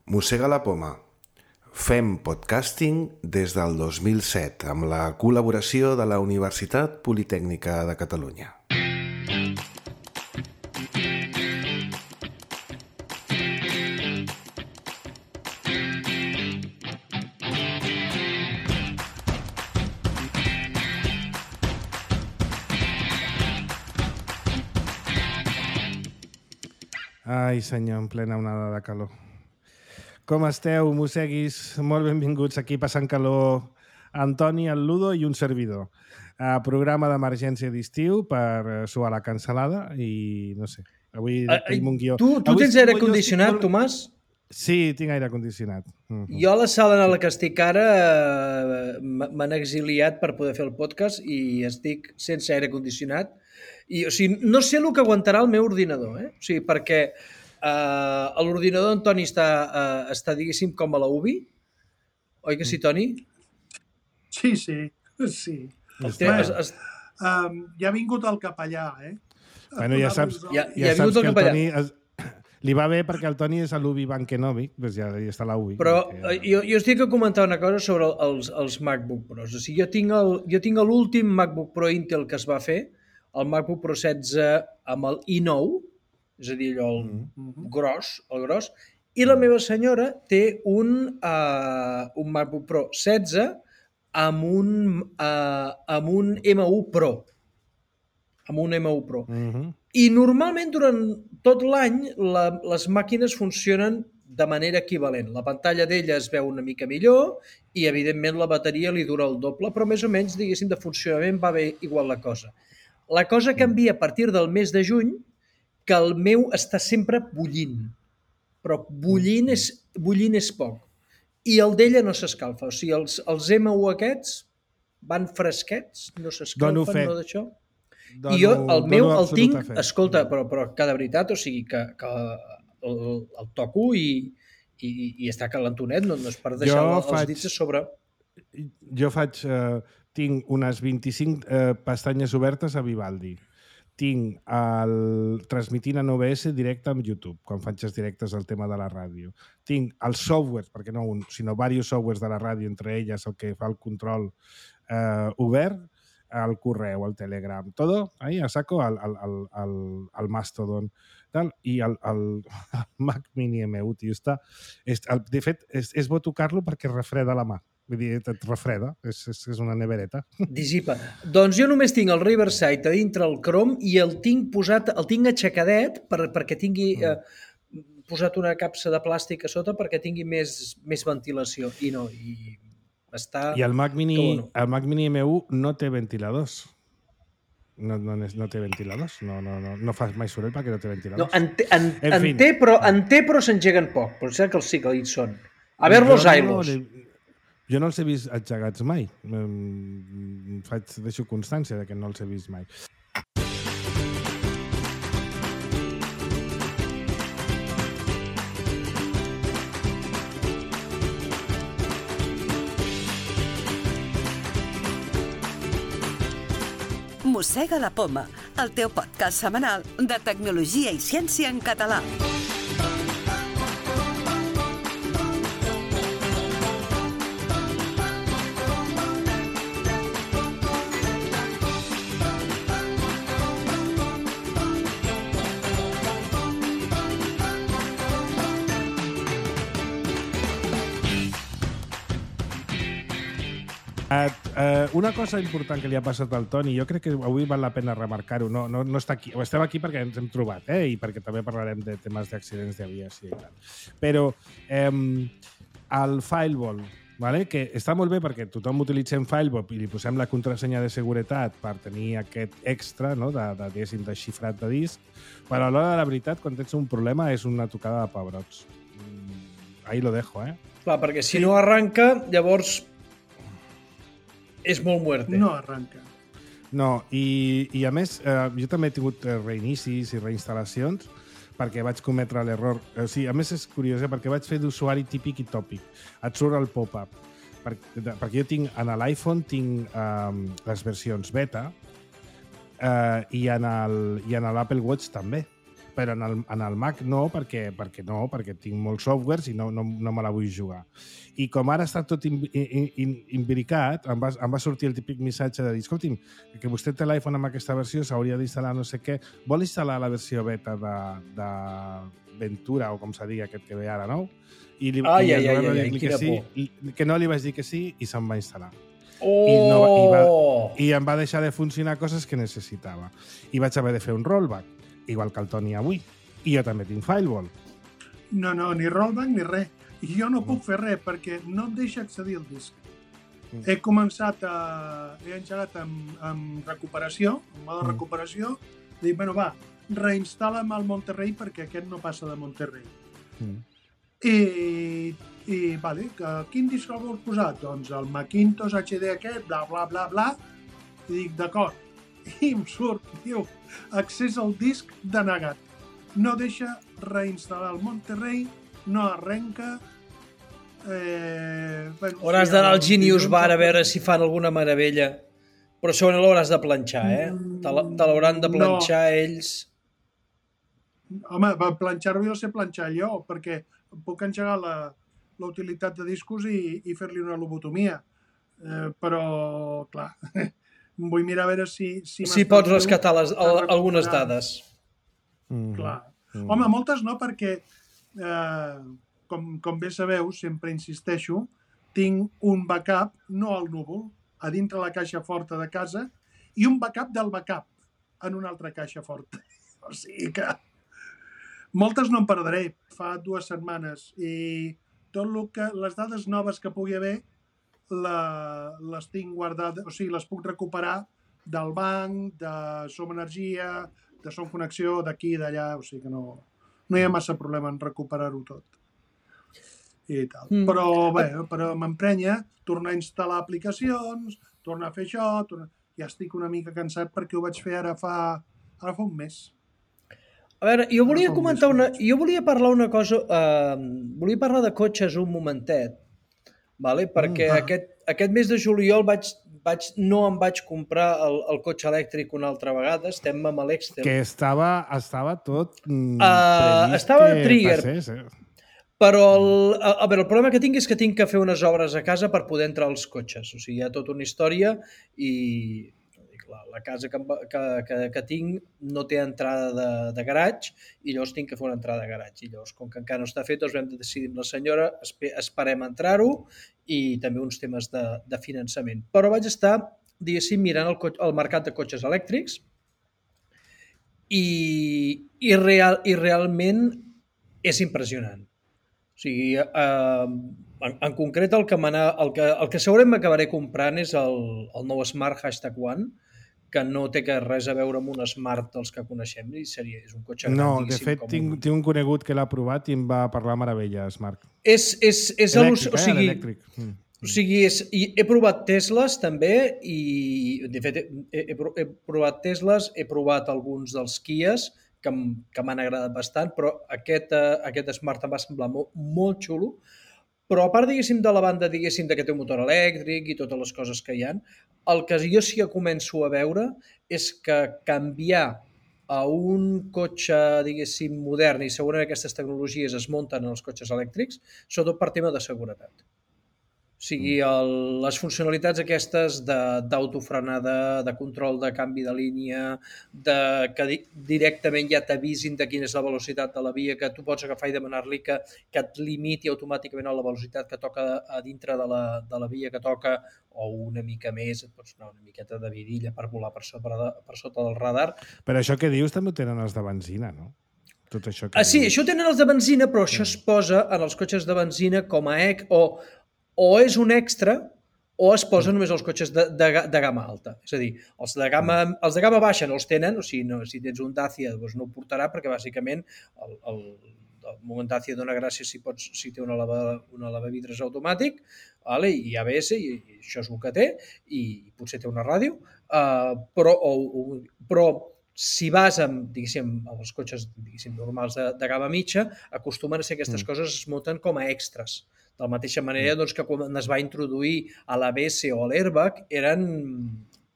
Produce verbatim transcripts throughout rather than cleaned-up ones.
Mossega la poma. Fem podcasting des del dos mil set amb la col·laboració de la Universitat Politècnica de Catalunya. Ai, senyor, en plena onada de calor. Com esteu, mosseguis? Molt benvinguts aquí passant calor. Antoni, el Ludo i un servidor. Uh, programa d'emergència d'estiu per suar la cansalada i no sé, avui uh, tenim un guió. Tu, tu avui tens aire condicionat, estic... Tomàs? Sí, tinc aire condicionat. Uh-huh. Jo a la sala en la que estic ara uh, m'han exiliat per poder fer el podcast i estic sense aire condicionat. I, o sigui, no sé el que aguantarà el meu ordinador, eh? O sigui, perquè uh, l'ordinador d'Antoni està, uh, està, diguéssim, com a la U B I. Oi que sí, Toni? Sí, sí, sí. Té, es, es... Um, ja ha vingut el capellà, eh? Bueno, ja saps, ja, ja ja saps el que el Toni... Es... Li va bé perquè el Toni és a l'U B I Bankenovic, doncs ja, ja està a la U B I. Però que... jo, jo estic a comentar una cosa sobre els, els MacBook Pros. O sigui, jo tinc el, jo tinc l'últim MacBook Pro Intel que es va fer, el MacBook Pro setze amb el i nou, és a dir, allò el mm-hmm. gros, el gros, i la meva senyora té un, uh, un MacBook Pro setze amb un, uh, amb un M u Pro. Amb un M u Pro. Mm-hmm. I normalment durant tot l'any la, les màquines funcionen de manera equivalent. La pantalla d'ella es veu una mica millor i, evidentment, la bateria li dura el doble, però més o menys, diguéssim, de funcionament va bé igual la cosa. La cosa canvia a partir del mes de juny, que el meu està sempre bullint. Però bullint és, bullint és poc. I el d'ella no s'escalfa. O sigui, els, els M u aquests van fresquets, no s'escalfen, no d'això. Dono, I jo el meu el tinc, fet. escolta, però, però que de veritat, o sigui, que, que el, el toco i, i, i està calentonet, no, no és per deixar jo els faig, dits a sobre. Jo faig... Uh, tinc unes vint-i-cinc eh, pestanyes obertes a Vivaldi. Tinc el transmitint en O B S directe amb YouTube, quan faig els directes del tema de la ràdio. Tinc els softwares, perquè no un, sinó diversos softwares de la ràdio, entre elles el que fa el control eh, obert, el correu, el Telegram, todo ahí a saco al, al, al, al, al Mastodon. Tal, i el, el, el Mac Mini M u, tio, està... És, el, de fet, és, és bo tocar-lo perquè refreda la mà. Vull dir, et refreda, és, és, és una nevereta. Dissipa. Doncs jo només tinc el Riverside a dintre el Chrome i el tinc posat, el tinc aixecadet per, perquè tingui mm. eh, posat una capsa de plàstic a sota perquè tingui més, més ventilació. I no, i està... I el Mac Mini, no. el Mac Mini M u no té ventiladors. No, no, no té ventiladors, no, no, no, no fa mai soroll perquè no té ventiladors. No, en, té, en, en, en, té, però, en té, però s'engeguen poc, però sé que els sí que hi són. A ver los ailos. No, jo no els he vist engegats mai. Faig, deixo constància de que no els he vist mai. Mossega la poma, el teu podcast setmanal de tecnologia i ciència en català. Uh, uh, una cosa important que li ha passat al Toni, jo crec que avui val la pena remarcar-ho, no, no, no està aquí, estem aquí perquè ens hem trobat, eh? I perquè també parlarem de temes d'accidents d'aviació i tal. Però um, el Firewall, vale? Que està molt bé perquè tothom utilitzem Firewall i li posem la contrasenya de seguretat per tenir aquest extra, no? de, de, de, de xifrat de disc, però a l'hora de la veritat, quan tens un problema, és una tocada de pebrots. Mm, ahí lo dejo, eh? Clar, perquè si no arranca, llavors... és molt muerte. No arranca. No, i, i a més, eh, jo també he tingut reinicis i reinstal·lacions perquè vaig cometre l'error. O sigui, a més és curiós, eh, perquè vaig fer d'usuari típic i tòpic. Et surt el pop-up. Per, perquè jo tinc, en l'iPhone tinc eh, les versions beta eh, i en l'Apple Watch també. però en el, en el Mac no, perquè, perquè no, perquè tinc molts softwares i no, no, no me la vull jugar. I com ara està tot imbricat, em va, em va sortir el típic missatge de dir, escolti'm, que vostè té l'iPhone amb aquesta versió, s'hauria d'instal·lar no sé què, vol instal·lar la versió beta de, de Ventura, o com se digui aquest que ve ara, no? I li, ai, i ai, ai, ai, que, quina sí, por. Que no li vaig dir que sí i se'm va instal·lar. Oh! I, no, i, va, I em va deixar de funcionar coses que necessitava. I vaig haver de fer un rollback, igual que el Toni avui. I jo també tinc Firewall. No, no, ni rollback ni res. I jo no puc fer res perquè no em deixa accedir al disc. Mm. He començat a... He engegat amb, amb recuperació, en mode mm. recuperació. Dic, bueno, va, reinstal·la'm el Monterrey perquè aquest no passa de Monterrey. Mm. I, i vale, que, quin disc el vols posar? Doncs el Macintosh H D aquest, bla, bla, bla, bla. I dic, d'acord. I em surt, diu, accés al disc denegat. No deixa reinstal·lar el Monterrey, no arrenca. Eh, bueno, hauràs sí, d'anar al Genius Bar a veure si fan alguna meravella. Però segurament l'hauràs de planxar, eh? Te l'hauran de planxar no. ells. Home, per planxar-ho jo sé planxar allò, perquè puc engegar la, la utilitat de discos i, i fer-li una lobotomia. Eh, però, clar, vull mirar a veure si... Si, si pots rescatar les, el, algunes dades. Mm. Clar. Mm. Home, moltes no, perquè, eh, com, com bé sabeu, sempre insisteixo, tinc un backup, no al núvol, a dintre la caixa forta de casa, i un backup del backup en una altra caixa forta. O sigui que moltes no em perdré. Fa dues setmanes i tot el que, les dades noves que pugui haver la, les tinc guardades, o sigui, les puc recuperar del banc, de Som Energia, de Som Connexió, d'aquí i d'allà, o sigui que no, no hi ha massa problema en recuperar-ho tot. I tal. Mm. Però bé, però m'emprenya tornar a instal·lar aplicacions, tornar a fer això, tornar... ja estic una mica cansat perquè ho vaig fer ara fa, ara fa un mes. A veure, jo volia comentar una... Jo volia parlar una cosa... Uh, volia parlar de cotxes un momentet, vale? Perquè mm, aquest, aquest mes de juliol vaig, vaig, no em vaig comprar el, el cotxe elèctric una altra vegada, estem amb l'Exter. Que estava, estava tot mm, uh, estava que trigger, passés, eh? Però el, a, a veure, el problema que tinc és que tinc que fer unes obres a casa per poder entrar als cotxes. O sigui, hi ha tota una història i la, la casa que, que, que, que tinc no té entrada de, de garatge i llavors tinc que fer una entrada de garatge. I llavors, com que encara no està fet, doncs vam decidir amb la senyora, esperem entrar-ho i també uns temes de, de finançament. Però vaig estar, diguéssim, mirant el, el mercat de cotxes elèctrics i, i, real, i realment és impressionant. O sigui, eh, en, en concret el que, el que, el que segurament m'acabaré comprant és el, el nou Smart Hashtag One, que no té res a veure amb un Smart dels que coneixem, i seria, és un cotxe gran, no, de fet, tinc, un... tinc un conegut que l'ha provat i em va parlar meravelles, Marc. És, és, és elèctric, o sigui, eh? Elèctric. Mm. O sigui, és, he provat Tesles també i, de fet, he, he, he provat Tesles, he provat alguns dels Kias, que, que m'han agradat bastant, però aquest, uh, aquest Smart em va semblar molt, molt xulo. Però a part, diguéssim, de la banda, diguéssim, que té un motor elèctric i totes les coses que hi ha, el que jo sí que començo a veure és que canviar a un cotxe, diguéssim, modern, i segurament aquestes tecnologies es munten en els cotxes elèctrics, sobretot per tema de seguretat. O sigui, el, les funcionalitats aquestes d'autofrenada, de control de canvi de línia, de, que di, directament ja t'avisin de quina és la velocitat de la via, que tu pots agafar i demanar-li que, que et limiti automàticament a la velocitat que toca a dintre de la, de la via que toca, o una mica més, et pots anar una miqueta de vidilla per volar per sota, per sota del radar. Però això que dius també ho tenen els de benzina, no? Tot això que ah, sí, dius. Això tenen els de benzina, però això es posa en els cotxes de benzina com a E C o o és un extra o es posa només els cotxes de, de, de gamma alta. És a dir, els de gamma, els de gamma baixa no els tenen, o sigui, no, si tens un Dacia doncs no ho portarà perquè bàsicament el, el, el moment Dacia dona gràcia si, pots, si té una, lava, una lavavidres automàtic, vale, i A B S, i, i això és el que té, i potser té una ràdio, uh, però, o, o, però si vas amb, diguéssim, els cotxes diguéssim, normals de, de gamma mitja, acostumen a ser aquestes mm. coses es munten com a extras. De la mateixa manera doncs, que quan es va introduir a l'A B S o a l'airbag eren,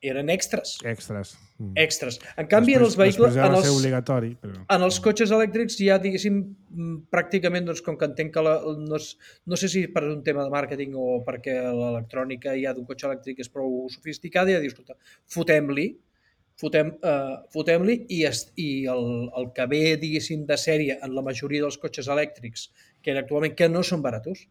eren extras. Extras. Mm. Extras. En canvi, després, en els vehicles... Després en va els, ser obligatori. Però... En els cotxes elèctrics ja, diguéssim, pràcticament, doncs, com que entenc que la, no, és, no sé si per un tema de màrqueting o perquè l'electrònica ja d'un cotxe elèctric és prou sofisticada, ja dius, escolta, fotem-li, fotem, uh, fotem-li i, es, i el, el que ve, diguéssim, de sèrie en la majoria dels cotxes elèctrics, que actualment que no són baratos,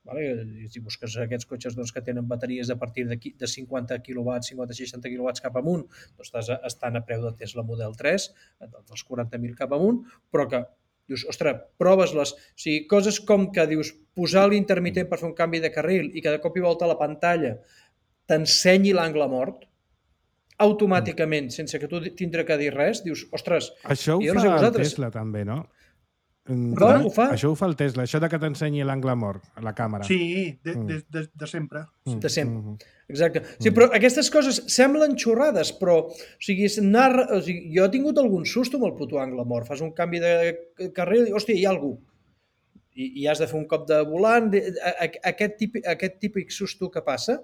vale? Si busques aquests cotxes doncs, que tenen bateries a partir de, de cinquanta quilowatts, cinquanta a seixanta quilowatts cap amunt, doncs estàs, estan a preu de Tesla Model tres, dels quaranta mil cap amunt, però que dius, ostres, proves-les. O sigui, coses com que dius, posar l'intermitent per fer un canvi de carril i que de cop i volta la pantalla t'ensenyi l'angle mort, automàticament, sense que tu tindre que dir res, dius, ostres, això ho jo no fa sé el vosaltres... Tesla també, no? Perdó, ho fa? Això ho fa el Tesla, això de que t'ensenyi l'angle mort a la càmera. Sí, de, de, de, de sempre. Mm. De sempre. Mm. Exacte. Sí, però aquestes coses semblen xorrades, però o sigui, anar, o sigui, jo he tingut algun susto amb el puto angle mort. Fas un canvi de carril i, hòstia, hi ha algú. I, i has de fer un cop de volant. Aquest típic, aquest típic susto que passa,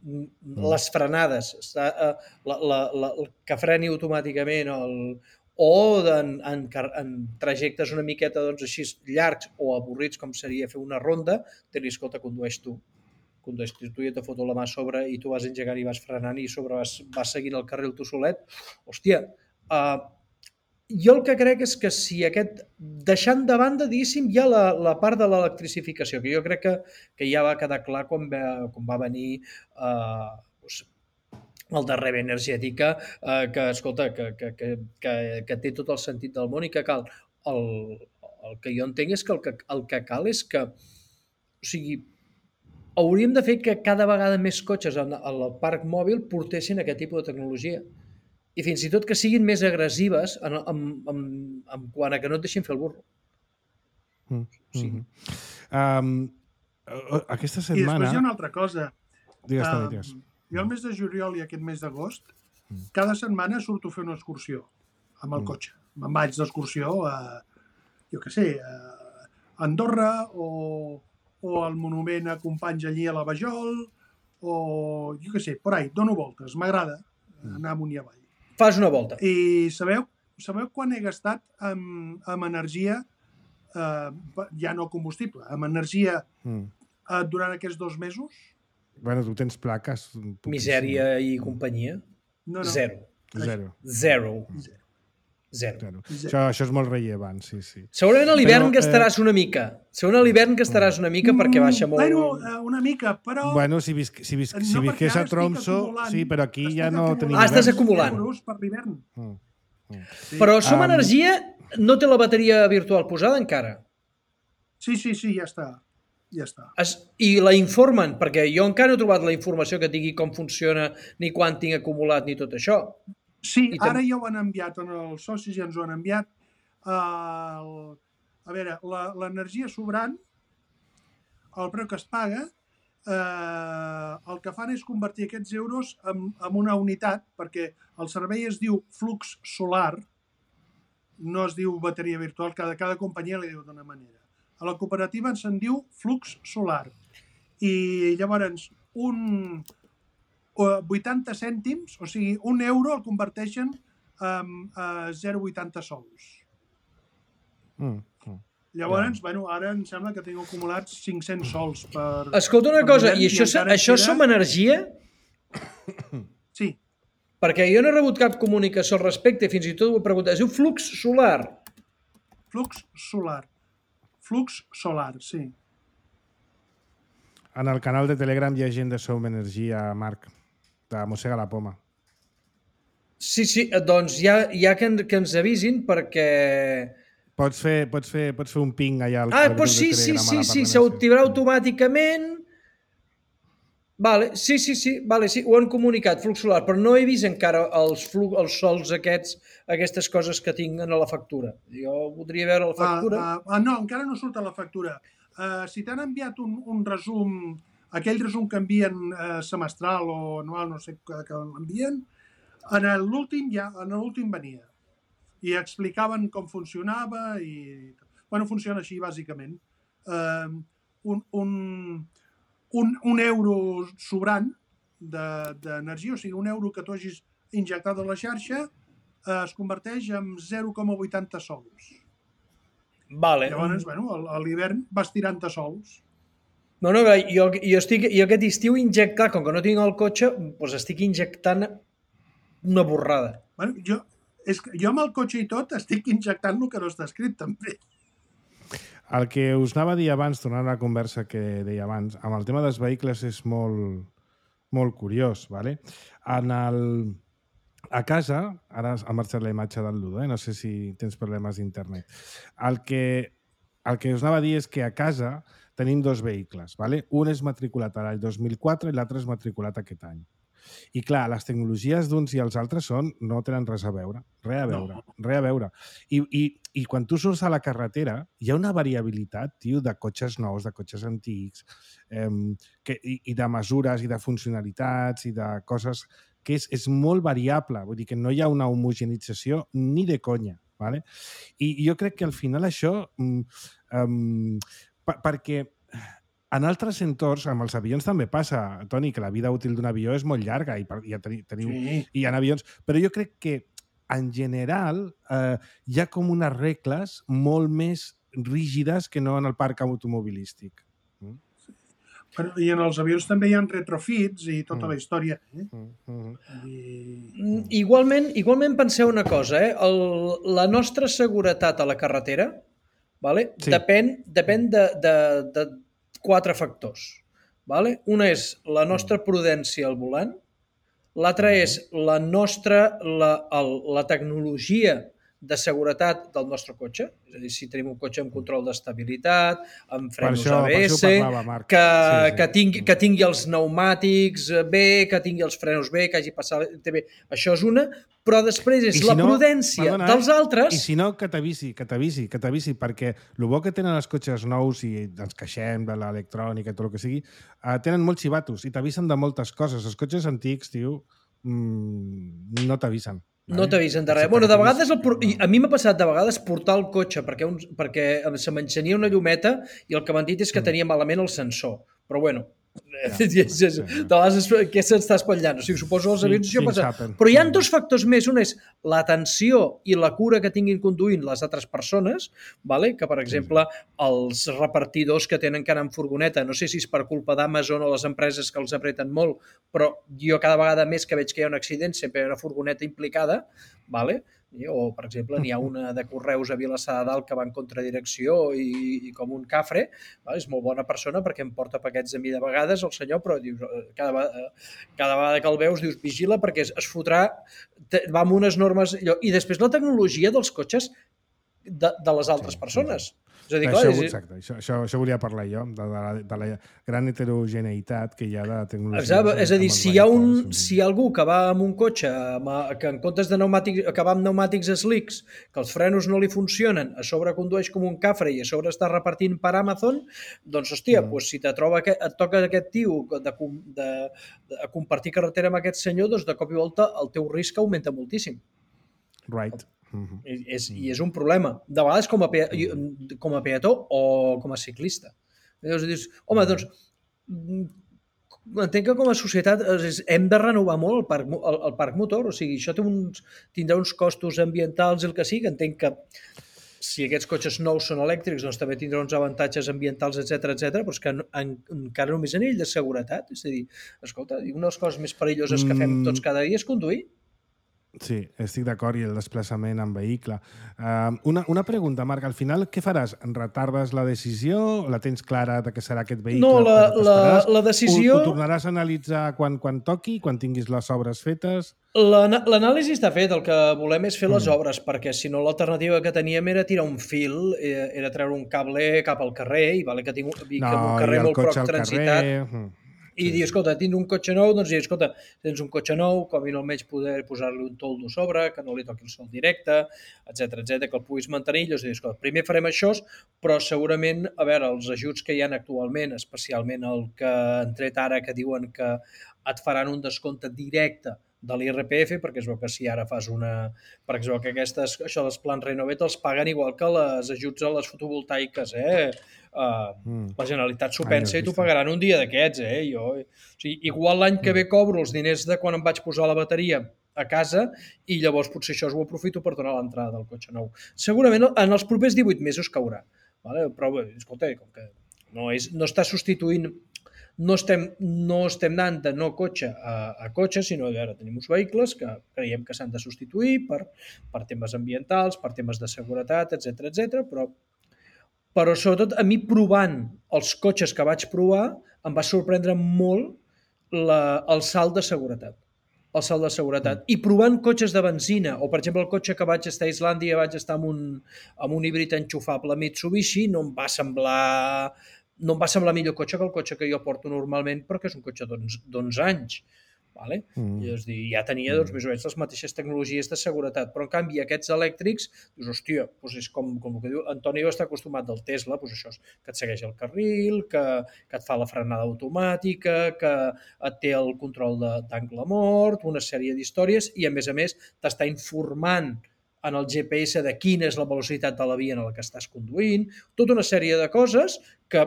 mm. les frenades, la, la, la, la, que freni automàticament el, o en, en, en trajectes una miqueta doncs, així llargs o avorrits, com seria fer una ronda, dir-li, escolta, condueix tu. Condueix tu i et foto la mà a sobre i tu vas engegant i vas frenant i sobre vas, vas seguint el carril tu solet. Hòstia, uh, jo el que crec és que si aquest, deixant de banda, diguéssim, hi ha la, la part de l'electrificació, que jo crec que, que ja va quedar clar quan va, quan va venir uh, doncs, el de Reve Energètica, eh, que, escolta, que, que, que, que, que té tot el sentit del món i que cal. El, el que jo entenc és que el, que el que cal és que, o sigui, hauríem de fer que cada vegada més cotxes en el parc mòbil portessin aquest tipus de tecnologia. I fins i tot que siguin més agressives en, en, en, en quant a que no et deixin fer el burro. Mm. Sí. Mm-hmm. Um, aquesta setmana... I després hi ha una altra cosa. Digues, um, digues. Jo el mes de juliol i aquest mes d'agost, mm. cada setmana surto a fer una excursió amb el mm. cotxe. Me'n vaig d'excursió a, jo què sé, a Andorra o, o al monument a Companys allí a la Vajol o, jo què sé, por ahí, dono voltes. M'agrada anar amunt i avall. Fas una volta. I sabeu, sabeu quan he gastat amb, amb energia, eh, ja no combustible, amb energia mm. eh, durant aquests dos mesos? Bueno, tu tens plaques. Misèria i companyia? No, no. Zero. Zero. Zero. Zero. Zero. Zero. Això, això és molt rellevant, sí, sí. Segurament a l'hivern Però, gastaràs eh... una mica. Segurament a l'hivern gastaràs una mica perquè baixa molt... Bueno, una mica, però... Bueno, si, visc, si, visc, si no, visqués a Tromso, sí, però aquí ja no tenim... Ah, estàs acumulant. Euros per l'hivern. Mm. Mm. Sí. Però Som Um, Energia no té la bateria virtual posada encara. Sí, sí, sí, ja està. Ja està. Es, I la informen, perquè jo encara no he trobat la informació que digui com funciona, ni quan tinc acumulat, ni tot això. Sí, I ara ja ho han enviat, en els socis ja ens ho han enviat. El, a veure, l'energia sobrant, el preu que es paga, eh, el que fan és convertir aquests euros en, en una unitat, perquè el servei es diu flux solar, no es diu bateria virtual, cada, cada companyia li diu d'una manera. A la cooperativa se'n diu flux solar. I llavors un vuitanta cèntims, o sigui, un euro el converteixen en uh, zero coma vuitanta sols. Mm, mm. Llavors, yeah. bueno, ara em sembla que tinc acumulats cinc-cents sols per... Escolta una cosa, i això, i això Som Energia? Sí. Perquè jo no he rebut cap comunicació al respecte, fins i tot ho he preguntat. Es diu flux solar. Flux solar. Flux solar, sí. En el canal de Telegram hi ha gent de Som Energia, Marc, de Mossega la Poma. Sí, sí, doncs ja, ja que, en, que ens avisin perquè... Pots fer, pots fer, pots fer un ping allà al, ah, al grup sí, de Telegram. Sí, sí, sí, s'activarà automàticament. Vale, sí, sí, sí, vale, sí, ho han comunicat, flux solar, però no he vist encara els, flux, els sols aquests, aquestes coses que tinc en la factura. Jo voldria veure la factura. Ah, ah, no, encara no surt a la factura. Uh, si t'han enviat un, un resum, aquell resum que envien uh, semestral o anual, no sé que, que l'envien, en l'últim ja, en l'últim venia. I explicaven com funcionava i... Bueno, funciona així, bàsicament. Uh, un... un Un, un euro sobrant d'energia, o sigui, un euro que tu hagis injectat a la xarxa eh, es converteix en zero coma vuitanta sols. Vale. Llavors, bueno, a l'hivern vas tirant-te sols. No, no, jo, jo, estic, jo aquest estiu injectar, com que no tinc el cotxe, doncs estic injectant una borrada. Bueno, jo, és que jo amb el cotxe i tot estic injectant el que no està escrit, també. El que us anava a dir abans, tornant a la conversa que deia abans, amb el tema dels vehicles és molt, molt curiós, ¿vale? En el... A casa, ara ha marxat la imatge del Ludo, eh? No sé si tens problemes d'internet. El que, el que us anava a dir és que a casa tenim dos vehicles, ¿vale? Un és matriculat a l'any dos mil quatre i l'altre és matriculat aquest any. I clar, les tecnologies d'uns i els altres són, no tenen res a veure, res a veure, no. res a veure. I, i, I quan tu surts a la carretera, hi ha una variabilitat, tio, de cotxes nous, de cotxes antics, eh, que, i, i de mesures i de funcionalitats i de coses que és, és molt variable, vull dir que no hi ha una homogenització ni de conya, ¿vale? I, i jo crec que al final això, um, um, per, perquè en altres entorns, amb els avions també passa, Toni, que la vida útil d'un avió és molt llarga i, i, teniu, sí. i hi ha avions, però jo crec que en general eh, hi ha com unes regles molt més rígides que no en el parc automobilístic. Mm? Bueno, i en els avions també hi ha retrofits i tota mm. la història. Eh? Mm. I... Igualment, igualment penseu una cosa, eh? El, la nostra seguretat a la carretera, vale? sí. depèn, depèn de, de, de quatre factors. Vale? Una és la nostra prudència al volant, l'altra mm. és la nostra, la, el, la tecnologia de seguretat del nostre cotxe, és a dir, si tenim un cotxe amb control d'estabilitat, amb frenos això, A B S, parlava, que, sí, sí. Que, tingui, que tingui els pneumàtics bé, que tingui els frenos bé, que hagi passat bé. Això és una, però després és si la no, prudència perdona, dels altres... I si no, que t'avisi, que t'avisi, que t'avisi, perquè el bo que tenen els cotxes nous i ens queixem de l'electrònica i tot el que sigui, eh, tenen molts xivatos i t'avisen de moltes coses. Els cotxes antics, tio, mmm, no t'avisen. No t'avisen de res. Bueno, de vegades, el, a mi m'ha passat de vegades portar el cotxe perquè, un, perquè se m'encenia una llumeta i el que m'han dit és que tenia malament el sensor. Però bueno, ja, de vegades què s'està espatllant? O sigui, suposo els avions això passa. Però hi ha dos factors més. Un és l'atenció i la cura que tinguin conduint les altres persones, vale? Que, per exemple, els repartidors que tenen que anar en furgoneta, no sé si és per culpa d'Amazon o les empreses que els apreten molt, però jo cada vegada més que veig que hi ha un accident sempre hi ha una furgoneta implicada, vale? O, per exemple, n'hi ha una de Correus a Vilassar de Dalt que va en contradirecció i, i com un cafre, va? És molt bona persona perquè em porta paquets a mi de vegades el senyor, però dius, cada, vegada, cada vegada que el veus dius vigila perquè es, es fotrà, va amb unes normes... I després la tecnologia dels cotxes de, de les altres sí, persones. Sí. És a dir, clar, això, exacte, això, això, això volia parlar jo, de, de, la, de la gran heterogeneïtat que hi ha de tecnologia. Exacte, és a dir, si hi, ha un, si hi ha algú que va amb un cotxe amb, que en comptes de pneumàtics, que va amb pneumàtics slicks, que els frenos no li funcionen, a sobre condueix com un cafre i a sobre està repartint per Amazon, doncs, hòstia, mm. doncs, si te troba aquest, et toca aquest tio de, de, de compartir carretera amb aquest senyor, doncs de cop i volta el teu risc augmenta moltíssim. Right. Uh-huh. I, és, I és un problema. De vegades com a, pe com a peató o com a ciclista. Llavors dius, home, doncs, entenc que com a societat hem de renovar molt el parc, el, el parc motor, o sigui, això té uns, tindrà uns costos ambientals i el que sigui, entenc que si aquests cotxes nous són elèctrics, doncs també tindrà uns avantatges ambientals, etcètera, etcètera, però és que en, en, encara només a nivell de seguretat, és a dir, escolta, una de les coses més perilloses que fem tots cada dia és conduir. Sí, estic d'acord, i el desplaçament en vehicle. Uh, una, una pregunta, Marc, al final què faràs? Retardes la decisió? La tens clara de què serà aquest vehicle? No, la, la, la decisió... Ho, ho tornaràs a analitzar quan, quan toqui, quan tinguis les obres fetes? L'anàlisi està fet, el que volem és fer les mm. obres, perquè si no l'alternativa que teníem era tirar un fil, era treure un cable cap al carrer, i vale que tinc no, un carrer molt prop transitat. Mm. I sí. dir, escolta, tinc un cotxe nou, doncs dir, escolta, tens un cotxe nou, com a mínim almenys poder posar-li un toldo a sobre, que no li toqui el sol directe, etcètera, etcètera, que el puguis mantenir. Llavors dir, escolta, primer farem això, però segurament, a veure, els ajuts que hi ha actualment, especialment el que han tret ara, que diuen que et faran un descompte directe de l'I R P F, perquè es veu que si ara fas una... Per exemple, que aquestes, això dels plans Renovet els paguen igual que les ajuts a les fotovoltaiques, eh? Uh, mm. La Generalitat s'ho pensa i t'ho pagaran un dia d'aquests, eh? Jo, o sigui, igual l'any que ve cobro els diners de quan em vaig posar la bateria a casa i llavors potser això ho aprofito per donar l'entrada del cotxe nou. Segurament en els propers divuit mesos caurà, vale? Però bé, escolta, com que no, és, no està substituint, no estem, no estem anant de no cotxe a, a cotxe, sinó que ara tenim uns vehicles que creiem que s'han de substituir per, per temes ambientals, per temes de seguretat, etcètera, etcètera, però però sobretot a mi provant els cotxes que vaig provar em va sorprendre molt la, el salt de seguretat. El salt de seguretat. I provant cotxes de benzina, o per exemple el cotxe que vaig estar a Islàndia, vaig estar amb un, amb un híbrid enxufable Mitsubishi, no em va semblar no em va semblar millor cotxe que el cotxe que jo porto normalment, perquè és un cotxe d'onze anys. Vale? Mm. I, és dir, ja tenia doncs, més o menys les mateixes tecnologies de seguretat, però en canvi aquests elèctrics, dius, hòstia, doncs és com, com el que diu, Antoni està acostumat del Tesla, doncs això és que et segueix el carril, que, que et fa la frenada automàtica, que et té el control d'angle mort, una sèrie d'històries, i a més a més t'està informant en el G P S de quina és la velocitat de la via en la que estàs conduint, tota una sèrie de coses que,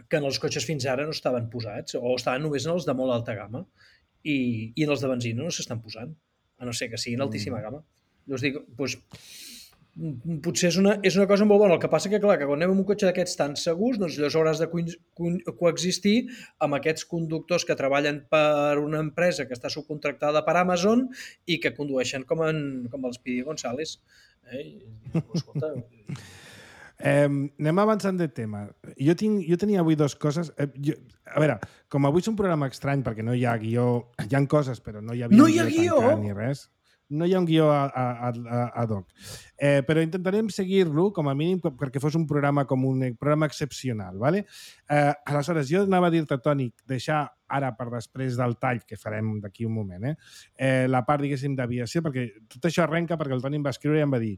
que en els cotxes fins ara no estaven posats, o estaven només en els de molt alta gamma. I, i en els de benzina no s'estan posant, a no ser que siguin altíssima gamma. Llavors dic, doncs, potser és una, és una cosa molt bona. El que passa que, clar, que quan anem amb un cotxe d'aquests tan segurs, doncs llavors hauràs de co co coexistir amb aquests conductors que treballen per una empresa que està subcontractada per Amazon i que condueixen com, en, com el Speedy González. Eh? I, escolta... Eh, anem avançant de tema. Jo, tinc, jo tenia avui dues coses. Eh, jo, a veure, com avui és un programa estrany perquè no hi ha guió, hi ha coses però no hi havia no hi ha guió, guió ni res. No hi ha un guió a, a, a, a doc. Eh, però intentarem seguir-lo, com a mínim, perquè fos un programa com un programa excepcional. ¿Vale? Eh, aleshores, jo anava a dir-te, Toni, deixar ara per després del tall, que farem d'aquí un moment, eh? Eh, la part, diguéssim, d'aviació, perquè tot això arrenca perquè el Toni em va escriure i em va dir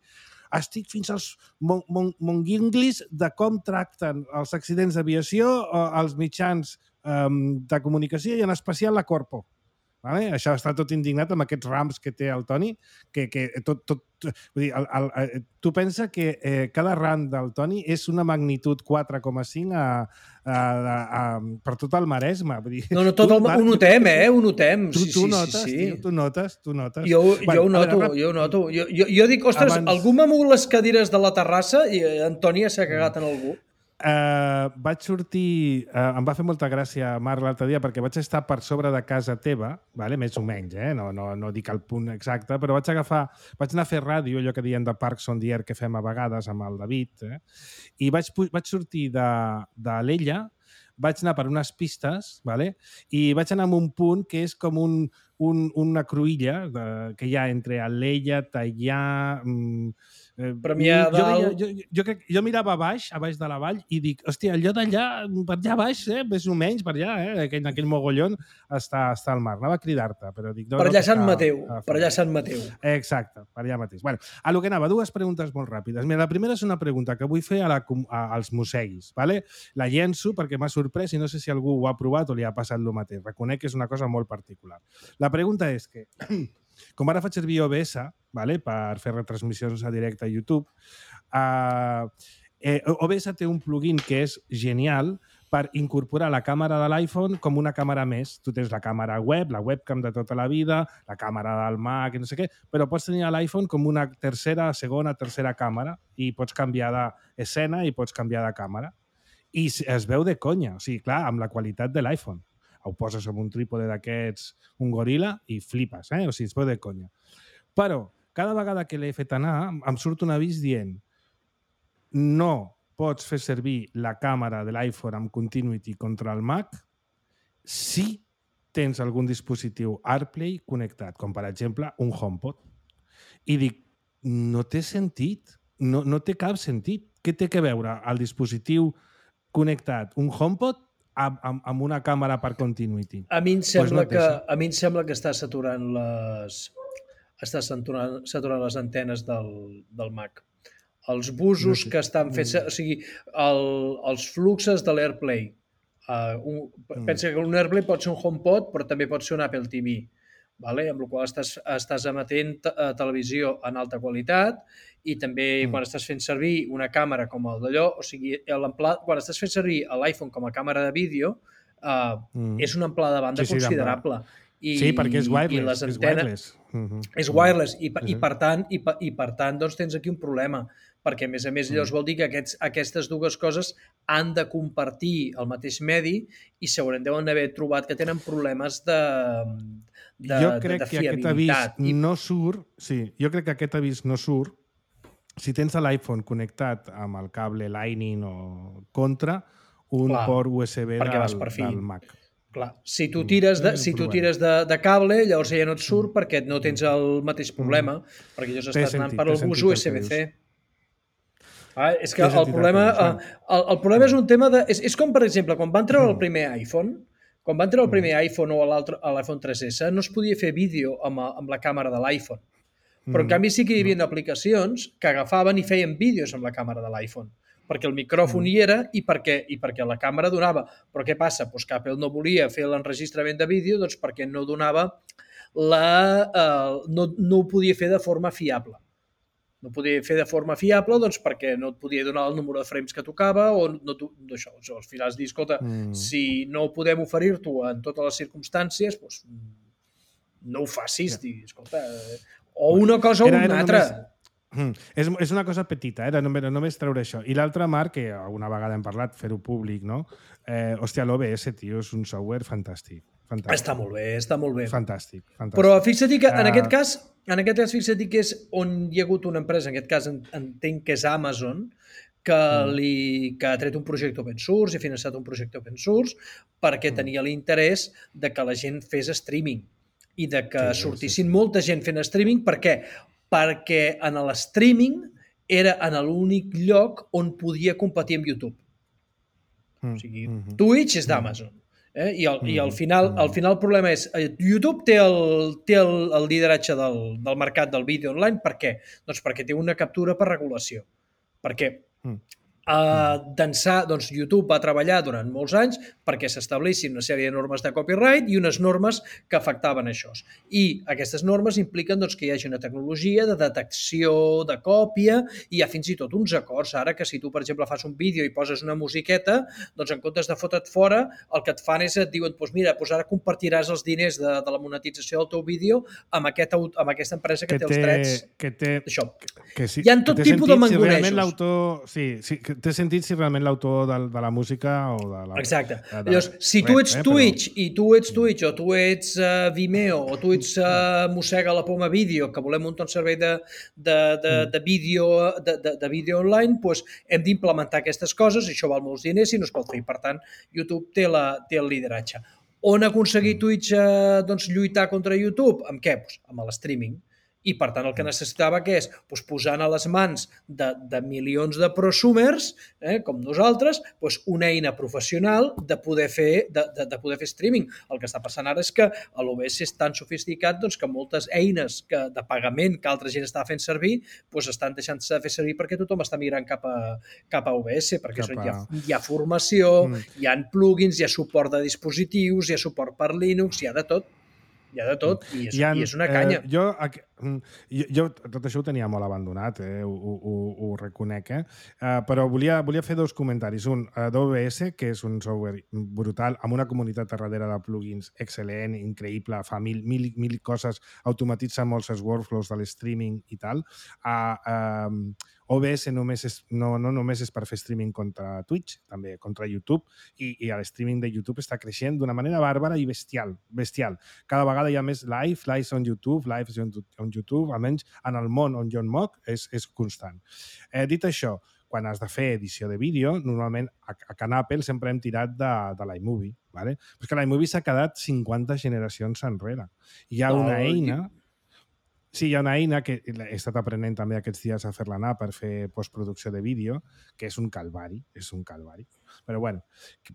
estic fins als mon mon monguinglis de com tracten els accidents d'aviació als mitjans um, de comunicació i en especial la Corpo. Vale? Això està tot indignat amb aquests rams que té el Toni, que, que tot, tot, vull dir, el, el, el, tu pensa que eh, cada ram del Toni és una magnitud quatre coma cinc a, a, a, a, per tot el Maresme. Vull dir, no, no, tot el, ho notem, eh? Ho notem. Tu, sí, tu sí, notes, sí, sí. Tio, tu notes, tu notes. Jo, bueno, jo ho noto, veure, jo ho noto. Jo, jo, jo dic, ostres, abans... algú m'ha mogut les cadires de la terrassa i Antònia s'ha cagat en algú. Uh, vaig sortir... Uh, em va fer molta gràcia, Marc, l'altre dia, perquè vaig estar per sobre de casa teva, vale? Més o menys, eh? no, no, no dic el punt exacte, però vaig agafar... Vaig anar a fer ràdio, allò que diem de Parks on the Air que fem a vegades amb el David, eh? I vaig, vaig sortir de, de l'Ella, vaig anar per unes pistes, vale? I vaig anar a un punt que és com un, un, una cruïlla de, que hi ha entre Alella, Tallà... Mm, Premià jo, veia, jo, jo, crec, jo mirava a baix, a baix de la vall, i dic, hòstia, allò d'allà, per allà baix, eh, més o menys, per allà, eh, aquell, aquell mogollon, està, està al mar. Anava a cridar-te, però dic... No, per allà no Sant Mateu, a, a per allà Sant Mateu. Exacte, per allà mateix. Bueno, a lo que anava, dues preguntes molt ràpides. Mira, la primera és una pregunta que vull fer a la, a, als museguis, ¿vale? La llenço perquè m'ha sorprès i no sé si algú ho ha provat o li ha passat el mateix. Reconec que és una cosa molt particular. La pregunta és que... Com ara faig servir O B S, vale, per fer retransmissions a directe a YouTube, uh, eh, O B S té un plugin que és genial per incorporar la càmera de l'iPhone com una càmera més. Tu tens la càmera web, la webcam de tota la vida, la càmera del Mac i no sé què, però pots tenir a l'iPhone com una tercera, segona, tercera càmera i pots canviar d'escena i pots canviar de càmera. I es veu de conya, o sigui, clar, amb la qualitat de l'iPhone. Ho poses amb un trípode d'aquests, un goril·la, i flipes, eh? O sigui, es veu de conya. Però, cada vegada que l'he fet anar, em surt un avís dient no pots fer servir la càmera de l'iPhone amb Continuity contra el Mac si tens algun dispositiu AirPlay connectat, com per exemple un HomePod. I dic, no té sentit, no, no té cap sentit. Què té que veure el dispositiu connectat, un HomePod, amb, amb una càmera per Continuity? A mi em sembla, pues no que, a mi em sembla que està saturant les, està saturant, saturant les antenes del, del Mac. Els busos no sé. que estan fets... O sigui, el, els fluxes de l'AirPlay. Uh, un, mm. Pensa que un AirPlay pot ser un HomePod, però també pot ser un Apple T V. vale? Amb la qual estàs, estàs emetent uh, televisió en alta qualitat i també mm. quan estàs fent servir una càmera com el d'allò, o sigui, quan estàs fent servir l'iPhone com a càmera de vídeo, uh, mm. és una amplada de banda sí, sí, considerable. I, sí, perquè és wireless. I les antenes, és wireless. Mm-hmm. És wireless i, i, per tant, i, i per tant doncs, tens aquí un problema, perquè a més a més llavors vol dir que aquests, aquestes dues coses han de compartir el mateix medi i segurament deuen haver trobat que tenen problemes de, de, jo crec de, de que aquest avís I... no surt, sí, jo crec que aquest avís no surt si tens l'iPhone connectat amb el cable Lightning o contra un Clar, port U S B del, del Mac. Clar, si tu tires de, si tu tires de, de cable, llavors ja no et surt mm. perquè no tens el mateix problema, mm. perquè llavors estàs anant per el bus U S B C. Ah, és que el problema, el, el problema és un tema de... És, és com, per exemple, quan van treure el primer iPhone, quan van treure el primer iPhone o l'iPhone tres essa, no es podia fer vídeo amb, amb la càmera de l'iPhone. Però, en canvi, sí que hi havia aplicacions que agafaven i feien vídeos amb la càmera de l'iPhone, perquè el micròfon mm. hi era i perquè, i perquè la càmera donava. Però què passa? Pues que Apple no volia fer l'enregistrament de vídeo doncs perquè no donava la... Eh, no, no ho podia fer de forma fiable. No podia fer de forma fiable doncs perquè no et podia donar el número de frames que tocava o no, no això. Al final has dit, escolta, mm. si no podem oferir-t'ho en totes les circumstàncies, doncs no ho facis. Yeah. Dir, escolta, o una cosa o era, una era altra. Només... Mm. És, és una cosa petita, eh? només, només treure això. I l'altra, Marc, que alguna vegada hem parlat, fer-ho públic, no? Eh, hòstia, l'O B S, tio, és un software fantàstic. Fantàstic. Està molt bé, està molt bé. Fantàstic. fantàstic. Però fixa't que en uh... aquest cas, en aquest cas fixa't que és on hi ha hagut una empresa, en aquest cas entenc que és Amazon, que, mm. li, que ha tret un projecte open source i ha finançat un projecte open source perquè mm. tenia l'interès de que la gent fes streaming i de que sí, sortissin sí, sí. molta gent fent streaming. Per què? Perquè en l'streaming era en l'únic lloc on podia competir amb YouTube. Mm. O sigui, mm-hmm. Twitch és d'Amazon. Eh? I, al, mm. I al final, al final el problema és YouTube té el, té el, el lideratge del, del mercat del vídeo online. Per què? Doncs perquè té una captura per regulació. Perquè mm. Uh, d'ençà, doncs YouTube va treballar durant molts anys perquè s'establissin una sèrie de normes de copyright i unes normes que afectaven això. I aquestes normes impliquen doncs, que hi hagi una tecnologia de detecció de còpia i hi ha fins i tot uns acords. Ara que si tu, per exemple, fas un vídeo i poses una musiqueta, doncs en comptes de fotre't fora, el que et fan és et diuen, doncs mira, doncs ara compartiràs els diners de, de la monetització del teu vídeo amb, aquest, amb aquesta empresa que, que té els drets. Que té, això. Que sí, hi ha tot tipus de mangonejos. Si l'autor... Sí, sí, que té sentit si realment l'autor de, de la música o de la... Exacte. De, de, Llavors, si tu ets eh, Twitch però... i tu ets Twitch o tu ets uh, Vimeo o tu ets uh, Mossega la Poma Vídeo, que volem muntar un servei de, de, de, de, vídeo, de, de, de vídeo online, doncs hem d'implementar aquestes coses, això val molts diners i no es pot fer. Per tant, YouTube té, la, té el lideratge. On ha aconseguit Twitch uh, doncs, lluitar contra YouTube? Amb què? Pues, amb el streaming. I, per tant, el que necessitava que és doncs, posant a les mans de, de milions de prosumers, eh, com nosaltres, doncs, una eina professional de poder, fer, de, de, de poder fer streaming. El que està passant ara és que l'O B S és tan sofisticat doncs, que moltes eines que, de pagament que altra gent està fent servir doncs, estan deixant-se de fer servir perquè tothom està migrant cap a, cap a O B S, perquè a... hi, ha, hi ha formació, mm. hi ha plugins, hi ha suport de dispositius, hi ha suport per Linux, hi ha de tot. Hi ha de tot, i és, ha, i és una canya. Eh, jo, jo, jo tot això ho tenia molt abandonat, eh? ho, ho, ho reconec, eh? Uh, però volia, volia fer dos comentaris. Un, uh, d'O B S, que és un software brutal, amb una comunitat darrere de plugins excel·lent, increïble, fa mil, mil, mil coses, automatitza molts els workflows de l'streaming i tal. Uh, uh, O B S només és, no, no només és per fer streaming contra Twitch, també contra YouTube, i, i el streaming de YouTube està creixent d'una manera bàrbara i bestial, bestial. Cada vegada hi ha més live, lives on YouTube, lives on, on YouTube, almenys en el món on jo en moc, és, és constant. Eh, dit això, quan has de fer edició de vídeo, normalment a, a Can Apple sempre hem tirat de, de l'iMovie, ¿vale? Però és que l'iMovie s'ha quedat cinquanta generacions enrere. Hi ha una oh, eina... Sí, hi ha una eina que he estat aprenent també aquests dies a fer-la anar per fer postproducció de vídeo, que és un calvari, és un calvari. Però bueno,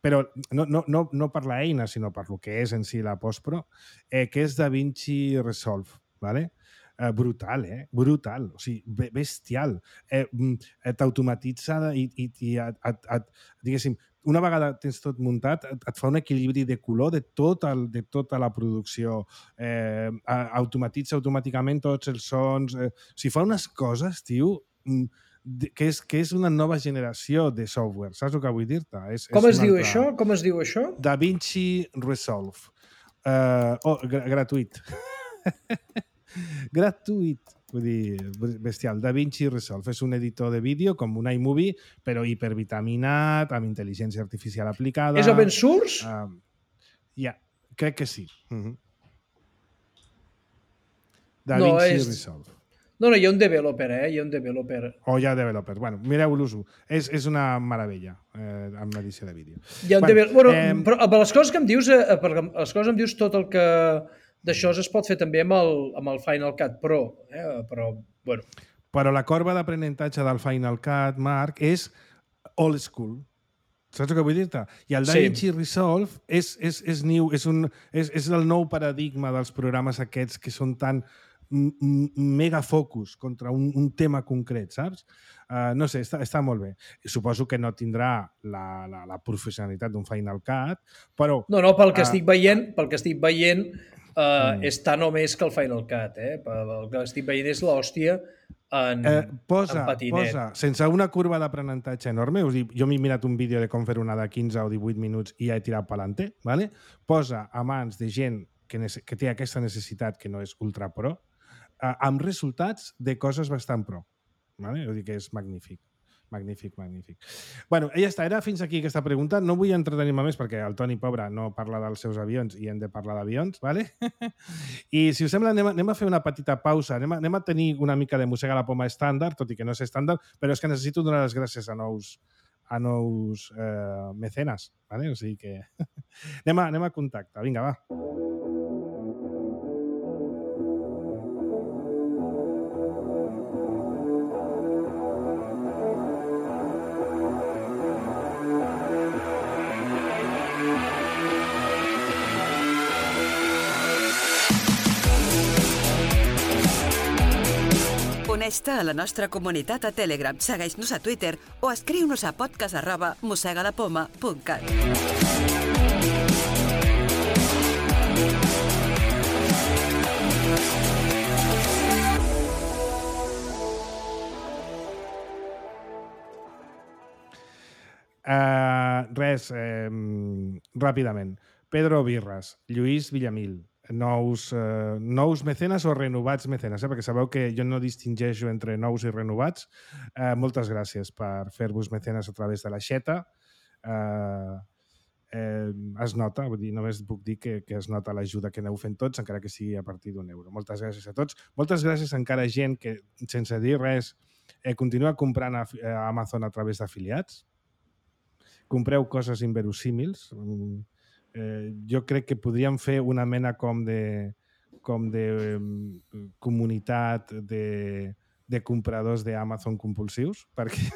però no, no, no, no per l'eina, sinó per lo que és en si la postpro, eh, que és DaVinci Resolve, ¿vale? Eh, brutal, eh? Brutal, o sigui, bestial. Eh, t'automatitza i, i, i et, et, diguéssim, una vegada tens tot muntat, et, et fa un equilibri de color de, tot el, de tota la producció. Eh, automatitza automàticament tots els sons. Eh, o sigui, fa unes coses, tio, que és, que és una nova generació de software. Saps el que vull dir-te? És, Com és es diu altra... això? Com es diu això? DaVinci Resolve. Uh, oh, gr gratuït. Gratuït. Vull dir, bestial. DaVinci Resolve és un editor de vídeo com un iMovie, però hipervitaminat, amb intel·ligència artificial aplicada. És open source? Uh, ja, yeah, crec que sí. Uh -huh. DaVinci no, és... Resolve. No, no, hi ha un developer, eh? Hi ha un developer. O hi ha developer. Bueno, mireu-los-ho. És, és una meravella eh, amb l'edició de vídeo. Hi ha un bueno, developer. Bueno, eh... però per les coses que em dius, eh, per les coses em dius tot el que d'això es pot fer també amb el, amb el Final Cut Pro, eh? Però, bueno. Però la corba d'aprenentatge del Final Cut, Marc, és old school. Saps el que vull dir-te? I el DaVinci sí. Resolve és, és, és, new, és, un, és, és el nou paradigma dels programes aquests que són tan mega focus contra un, un tema concret, saps? Uh, no sé, està, està molt bé. Suposo que no tindrà la, la, la professionalitat d'un Final Cut, però... No, no, pel que uh, estic veient, pel que estic veient uh, mm. és tan o més que el Final Cut, eh? El que estic veient és l'hòstia en, eh, posa, en patinet. Posa, sense una curva d'aprenentatge enorme, us dic, jo m'he mirat un vídeo de com fer una de quinze o divuit minuts i ja he tirat pelanter, ¿vale? Posa a mans de gent que, que té aquesta necessitat, que no és ultra pro, amb resultats de coses bastant pro. Vale? Vull dir que és magnífic. Magnífic, magnífic. Bueno, ja està, era fins aquí aquesta pregunta. No vull entretenir-me més perquè el Toni, pobre, no parla dels seus avions i hem de parlar d'avions, ¿vale? I si us sembla, anem a, anem a fer una petita pausa. Anem a, anem a tenir una mica de Mossega la Poma estàndard, tot i que no és estàndard, però és que necessito donar les gràcies a nous, a nous eh, mecenes, ¿vale? O sigui que anem a, anem a contacte. Vinga, va. Uneix-te a la nostra comunitat a Telegram, segueix-nos a Twitter o escriu-nos a podcast arroba mossegalapoma punt cat. Uh, res, eh, ràpidament. Pedro Birras, Lluís Villamil, nous, eh, nous mecenes o renovats mecenes, eh? Perquè sabeu que jo no distingeixo entre nous i renovats. Eh, moltes gràcies per fer-vos mecenes a través de la xeta. Eh, eh, es nota, vull dir, només puc dir que, que es nota l'ajuda que aneu fent tots, encara que sigui a partir d'un euro. Moltes gràcies a tots. Moltes gràcies encara a gent que, sense dir res, eh, continua comprant a, a Amazon a través d'afiliats. Compreu coses inverosímils. Eh, jo crec que podríem fer una mena com de, com de um, comunitat de, de compradors d'Amazon compulsius, perquè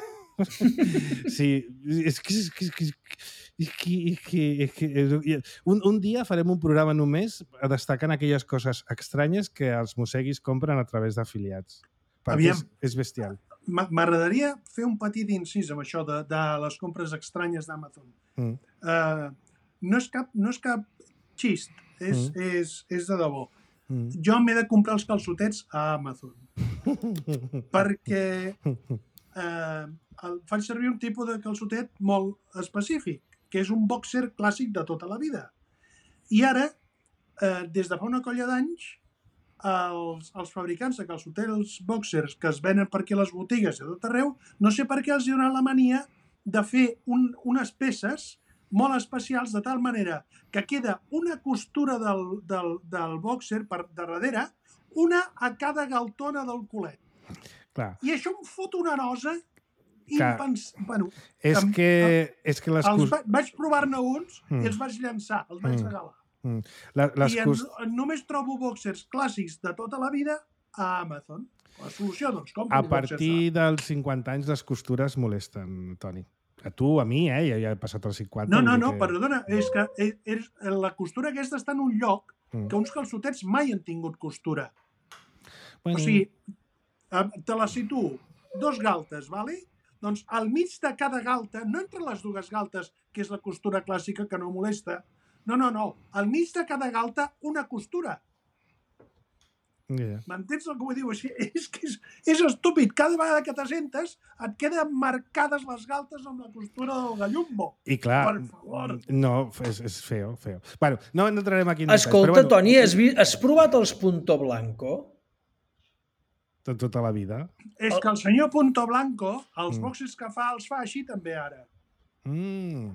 sí, és que, és que, és que, és que, és que un, un dia farem un programa només destacant aquelles coses estranyes que els mosseguis compren a través d'afiliats. Perquè és, és bestial. M'agradaria fer un petit incís amb això de, de les compres estranyes d'Amazon. Mm. Uh, no, és cap, no és cap xist, és, mm. és, és de debò. Mm. Jo m'he de comprar els calçotets a Amazon. Perquè eh, el, faig servir un tipus de calçotet molt específic, que és un boxer clàssic de tota la vida. I ara, eh, des de fa una colla d'anys, Els, els fabricants de calçotets boxers que es venen per aquí a les botigues i a tot arreu, no sé per què els hi dona la mania de fer un, unes peces molt especials de tal manera que queda una costura del, del, del boxer per darrere, una a cada galtona del culet. Clar. I això em fot una nosa impens... Bueno, és que, que, és que les els va, vaig provar-ne uns mm. i els vaig llançar, els vaig mm. regalar. Mm. La, les I cost... en, només trobo boxers clàssics de tota la vida a Amazon. La solució, doncs, com? A partir dels cinquanta anys les costures molesten, Toni. A tu, a mi, eh? Ja, ja he passat els cinquanta. No, no, no, que... perdona. És que és, és, la costura aquesta està en un lloc mm. que uns calçotets mai han tingut costura. Bueno. O sigui, te la situo dos galtes, vale? Doncs al mig de cada galta, no entre les dues galtes, que és la costura clàssica que no molesta, no, no, no, al mig de cada galta una costura. Yeah. M'entens el que vull dir? Així, és que és, és estúpid. Cada vegada que t'assentes et queden marcades les galtes amb la costura del gallumbo. I clar, per favor. No, és, és feo, feo. Bueno, no entrarem aquí en Escolta, detalls, però, Toni, has, vi, has provat els Punto Blanco? De tota la vida. És que el senyor Punto Blanco, els Mm. boxes que fa, els fa així també ara. Mm.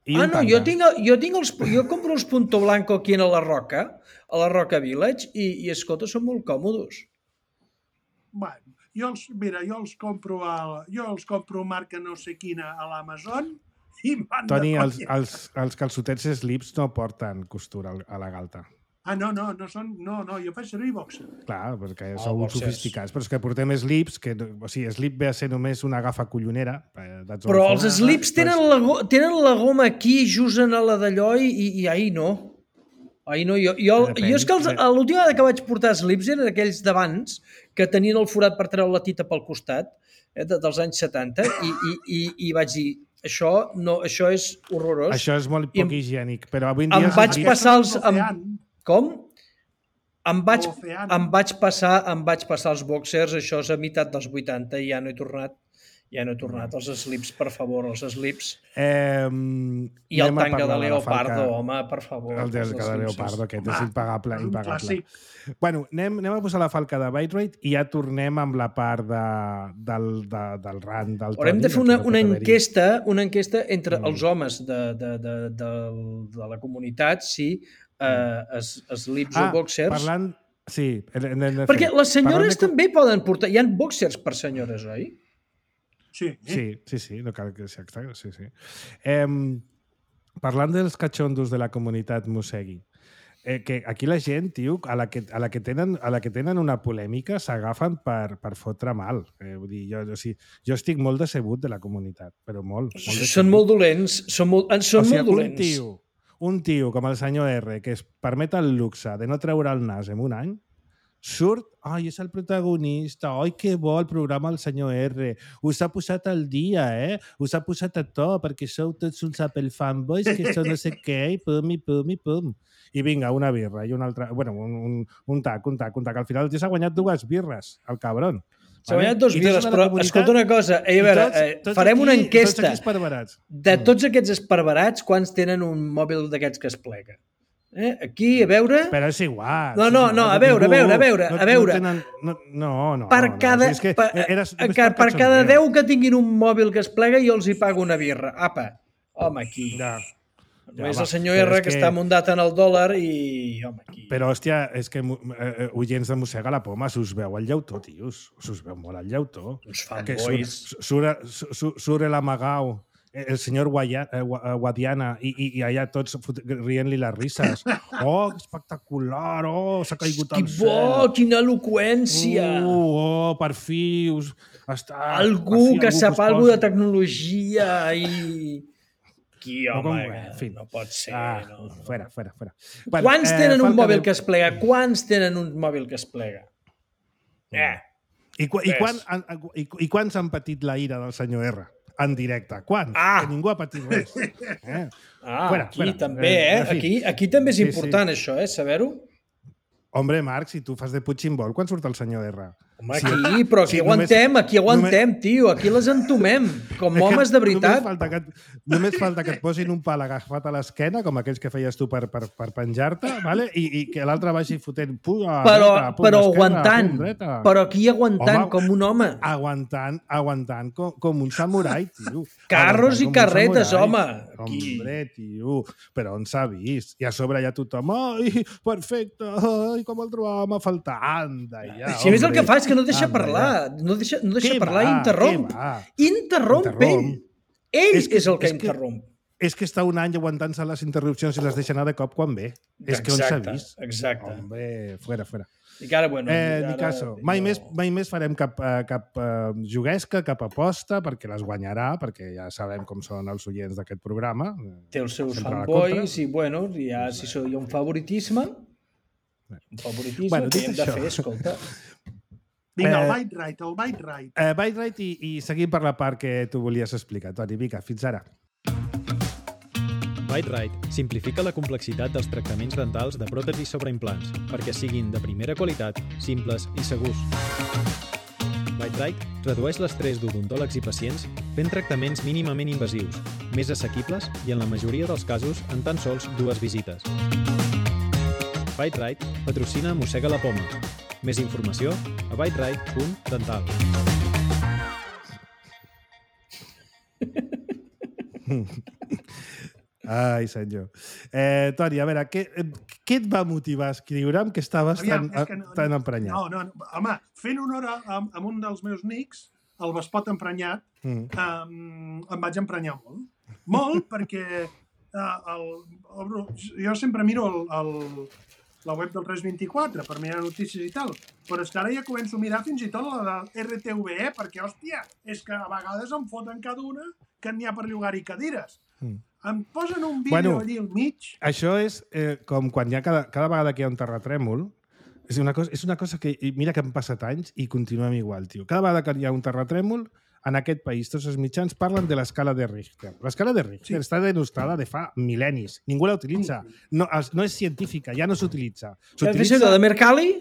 I Ah, un no, tanga. jo, tinc, jo, tinc els, jo compro els Punto Blanco aquí a la Roca, a la Roca Village, i, i escolta, són molt còmodos. Bueno, jo els, mira, jo els compro a, jo els compro marca no sé quina a l'Amazon i van Toni, de els, conya. els, els calçotets slips no porten costura al- a la galta. Ah, no, no, no són... No, no, jo faig servir boxer. Clar, perquè Ah, sou boxers. sofisticats. Però és que portem slips, que, o sigui, slip ve a ser només una gafa collonera. eh, that's all Però for- els slips tenen la, go- tenen la goma aquí, just en la d'allò, i, i, i ahir no. Ahir no. Jo, jo, Depèn, jo és que els, de- l'última vegada que vaig portar slips eren aquells d'abans, que tenien el forat per treure la tita pel costat, eh, de, dels anys setanta, i, i, i, i vaig dir, això, no, això és horrorós. Això és molt I poc em- higiènic, però avui en em dia... vaig slips- passar els- em- Ocean. Com? Em vaig, Ocean. em vaig passar em vaig passar els boxers, això és a meitat dels vuitanta, i ja no he tornat. Ja no he tornat. Els slips, per favor, els slips. Eh, I el tanga de la Leopardo, falca. home, per favor. El del els de slips. Leopardo, aquest Home, és impagable. és un impagable. clàssic. Bueno, anem, anem a posar la falca de Byterate i ja tornem amb la part de, del, de, del rant del Haurem Toni, de fer que una, no pot una haver-hi. enquesta, una enquesta entre Mm. els homes de, de, de, de, de la comunitat, si eh, es, slips Ah, o boxers. parlant... Sí, hem, hem de Perquè fer. les senyores Parlant de- també poden portar... Hi ha boxers per senyores, oi? Sí. Sí, sí, sí, no cal que sigui extra, sí, sí. Eh, parlant dels catxondos de la comunitat Mosegui, eh, que aquí la gent, tio, a la que, a la que, tenen, a la que tenen una polèmica s'agafen per, per fotre mal. Eh, vull dir, jo, o sigui, jo estic molt decebut de la comunitat, però molt. molt decebut. Són molt dolents, són molt, en són o sigui, molt dolents. Un tio, un tio com el senyor R, que es permet el luxe de no treure el nas en un any, surt, ai, és el protagonista, ai, que bo el programa del senyor R, us ha posat al dia, eh? Us ha posat a to, perquè sou tots uns Apple fanboys, que sou no sé què, i pum, i pum, i pum. I vinga, una birra, i una altra... Bueno, un, un, un tac, un tac, un tac. Al final el tio s'ha guanyat dues birres, el cabron. S'ha guanyat dos I tots birres, de la però comunitat- escolta una cosa, eh, a i veure, tots- eh, tots farem aquí- una Tots enquesta. aquí esparverats. De tots aquests esparverats, quants tenen un mòbil d'aquests que es plega? Eh? Aquí, a veure... Però és igual. No, és no, igual, no, a veure, a ningú- veure, a veure, no, a veure. No, tenen, no, no, no. per no, cada, és que per, era, per, només per cada cachondeo. deu que tinguin un mòbil que es plega, jo els hi pago una birra. Apa, home, aquí. Ja, No ja és va. el senyor Però R és que, està muntat en el dòlar i, home, aquí. Però, hòstia, és que eh, oients de Mossega la Poma, s'us veu al llautó, tios. S'us veu molt al llautó. Uns Que fanboys. surt, surt, surt, surt l'Amagau, el senyor Guaya, eh, Guadiana, i, i, i allà tots fot- rient-li les risses. Oh, que espectacular! Oh, s'ha caigut Que al bo, cel! quina eloqüència! Uh, oh, per fi us... Està, algú per fi, que algú sap us alguna de posi- tecnologia i... Qui, No, home, com- en fi. no pot ser. Ah, no, no. fora, fora, fora. Quants tenen un Falca mòbil de- que es plega? Quants tenen un mòbil que es plega? Eh, I, qu i, Res. quan, han- i, I quants han patit la ira del senyor R? En directe. Quants? Ah! Que ningú ha patit res. Eh? ah, Fora, aquí fora. també, Eh, eh? en fi. Aquí, aquí també és Sí, important, això, eh? Saber-ho. Hombre, Marc, si tu fas de Puigcimbol, quan surt el senyor R? Home, aquí, però aquí sí, aguantem, només- aquí aguantem, tio. Aquí les entomem, com homes de veritat. Només falta, que, et- només falta que et posin un pal agafat a l'esquena, com aquells que feies tu per, per, per penjar-te, vale? I, i que l'altre vagi fotent puja, Però, dreta, pum, però esquerra, aguantant, pum, dreta. però aquí aguantant Home, com un home. Aguantant, aguantant com, com un samurai, tio. Carros i Aguantant com un carretes, samurai. home. Aquí. Hombre, tio, però on s'ha vist? I a sobre hi ha tothom, ai, perfecte, ai, com el trobàvem a faltar. Anda, ja, Si a més el hombre. que fa és que no deixa Anda, parlar, no deixa, no deixa Què parlar, va, interromp. què va? Interromp, Interromp. ell. Ell és, És que- el que és que- interromp. És que està un any aguantant-se les interrupcions i les deixa anar de cop quan ve. És que on s'ha Exacte, vist? exacte. Hombre, fuera, fuera. I que ara, bueno, Eh, ara, ni caso. Mai, jo- més, mai més farem cap, eh, cap eh, juguesca, cap aposta, perquè les guanyarà, perquè ja sabem com són els oients d'aquest programa. Té els seus Sempre a la fanboys contra. i, bueno, ja, si so- hi ha un favoritisme, un favoritisme Bueno, que dit hem de això. fer, escolta. Vinga, el Eh, Byte Right, el Byte Right. Eh, Byte Right i, i seguim per la part que tu volies explicar, Toni. Vinga, fins ara. Byte Right simplifica la complexitat dels tractaments dentals de pròtesis sobre implants perquè siguin de primera qualitat, simples i segurs. Byte Right redueix l'estrès d'odontòlegs i pacients fent tractaments mínimament invasius, més assequibles i en la majoria dels casos en tan sols dues visites. Byte Right patrocina Mossega la Poma. Més informació a byte right punt dental. Ai, senyor. Eh, Toni, a veure, què, què et va motivar a escriure'm que estaves Aviam, tan, és que no- tan emprenyat? No, no, no, home, fent honor a, a, a un dels meus nics, el Vespot emprenyat, Mm. um, em vaig emprenyar molt. Molt, perquè uh, el, el, jo sempre miro el, el, la web del tres vint-i-quatre per mirar notícies i tal, però és que ara ja començo a mirar fins i tot la de R T V E, perquè, hòstia, és que a vegades em foten cada una que n'hi ha per llogar-hi cadires. Mm. Em posen un vídeo Bueno, allí al mig. Això és eh, com quan hi ha cada, cada vegada que hi ha un terratrèmol, és una cosa, és una cosa que, i mira que han passat anys i continuem igual, tio. Cada vegada que hi ha un terratrèmol, en aquest país tots els mitjans parlen de l'escala de Richter. L'escala de Richter sí. està denostada de fa mil·lennis. Ningú la utilitza. No, no és científica, ja no s'utilitza. S'utilitza de Mercalli?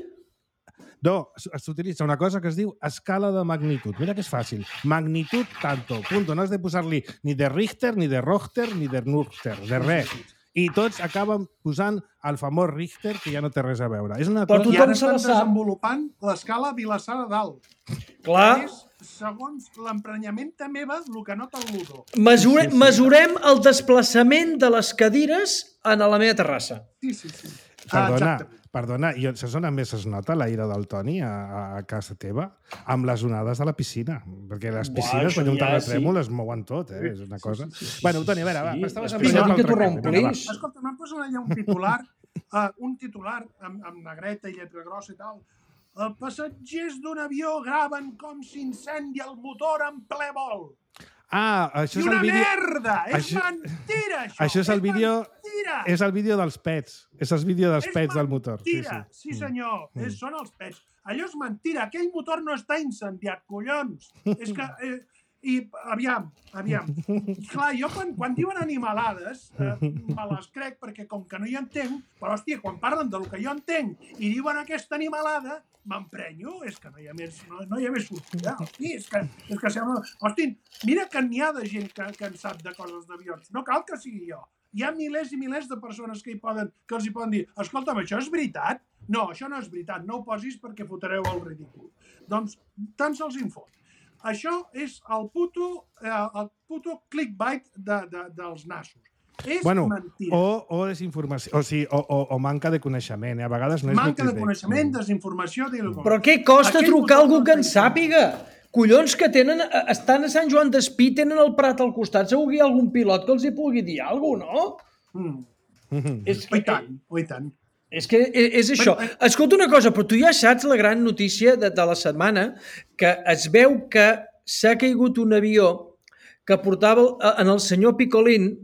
No, s'utilitza una cosa que es diu escala de magnitud. Mira que és fàcil. Magnitud tanto, punto. No has de posar-li ni de Richter, ni de Rochter, ni de Nurter, de res. I tots acaben posant el famós Richter, que ja no té res a veure. És una Però cosa... I tothom ara se la estan sap. desenvolupant l'escala Vilassar de Dalt. Clar. És, segons l'emprenyament meva, el que nota el Ludo. Mesure, Sí, sí, sí. Mesurem el desplaçament de les cadires a la meva terrassa. Sí, sí, sí. Perdona, Exactament. perdona, i saps on més es nota la ira del Toni a, a casa teva? Amb les onades de la piscina. Perquè les Buah, piscines, això quan hi ha un ja terratrèmol, es mouen tot, eh? És una cosa... Bueno, Toni, a veure, va, Sí, estaves les emprenyat piscines l'altre que t'ho cop. Vinga, va. reomplís. Escolta, m'han posat allà un titular, uh, un titular amb, amb negreta i lletra grossa i tal. Els passatgers d'un avió graven com s'incendia el motor en ple vol. Ah, això I és una el vídeo... merda! És Això- mentira, això! Això és el vídeo... mentira! És el vídeo dels pets. És el vídeo dels És pets del motor. Mentira, Sí, sí, senyor. Mm. És, són els pets. Allò és mentira. Aquell motor no està incendiat, collons. És que... Eh, I, aviam, aviam. Clar, jo quan, quan diuen animalades, eh, me les crec perquè com que no hi entenc, però, hòstia, quan parlen del que jo entenc i diuen aquesta animalada, m'emprenyo. És que no hi ha més, no, no hi ha més sortida. Hosti, és que, és que sembla... Hosti, mira que n'hi ha de gent que, que en sap de coses d'avions. No cal que sigui jo. Hi ha milers i milers de persones que, hi poden, que els hi poden dir escolta'm, això és veritat? No, això no és veritat. No ho posis perquè fotreu el ridícul. Doncs tant se'ls en fot. Això és el puto, eh, el puto clickbait de, de, dels nassos. És Bueno, mentira. o, o desinformació, o, sigui, o, o, o manca de coneixement. Eh? A vegades no és Manca de clickbait. coneixement, desinformació... Però què costa Aquell trucar a algú motor que en no està sàpiga? Collons, que tenen, estan a Sant Joan d'Espí, tenen el Prat al costat, segur que hi ha algun pilot que els hi pugui dir alguna cosa, no? Mm. Mhm. És O i tant, o i tant. És que és això. Escolta una cosa, però tu ja saps la gran notícia de, de la setmana, que es veu que s'ha caigut un avió que portava en el senyor Picolín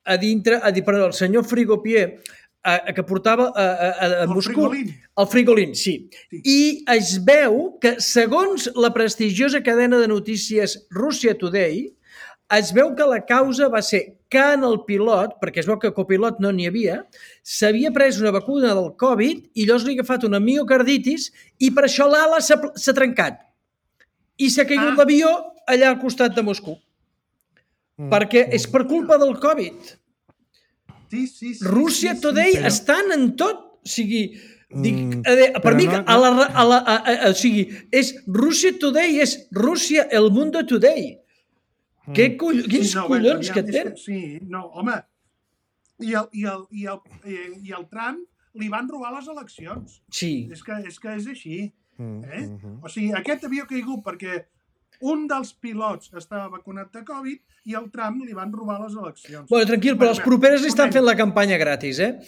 a dintre, a dir, perdó, el senyor Frigopier, a, a, que portava a, a, a, a El Moscou. Frigolín. El Frigolín, sí. Sí. I es veu que, segons la prestigiosa cadena de notícies Russia Today, es veu que la causa va ser que en el pilot, perquè es veu que copilot no n'hi havia, s'havia pres una vacuna del Covid i llavors li ha agafat una miocarditis i per això l'ala s'ha s'ha trencat. I s'ha caigut Ah. l'avió allà al costat de Moscou. Mm. Perquè és per culpa del Covid. Sí, sí, sí. Russia sí, sí, Today però- estan en tot. O sigui, dic, Mm, a veure, per però mi, no- a la, a la, a, a, o sigui, és Russia Today, és Rússia, el mundo today. Mm. Què coll quins Sí, no, collons aviam, que és tenen? Sí, no, home. I el, i, el, i, el, eh, I el Trump li van robar les eleccions. Sí. És que és, que és així. Mm, Eh? mhm. O sigui, aquest havia caigut perquè un dels pilots estava vacunat de Covid i el Trump li van robar les eleccions. Bueno, tranquil, però els properes li estan fent la campanya gratis, eh?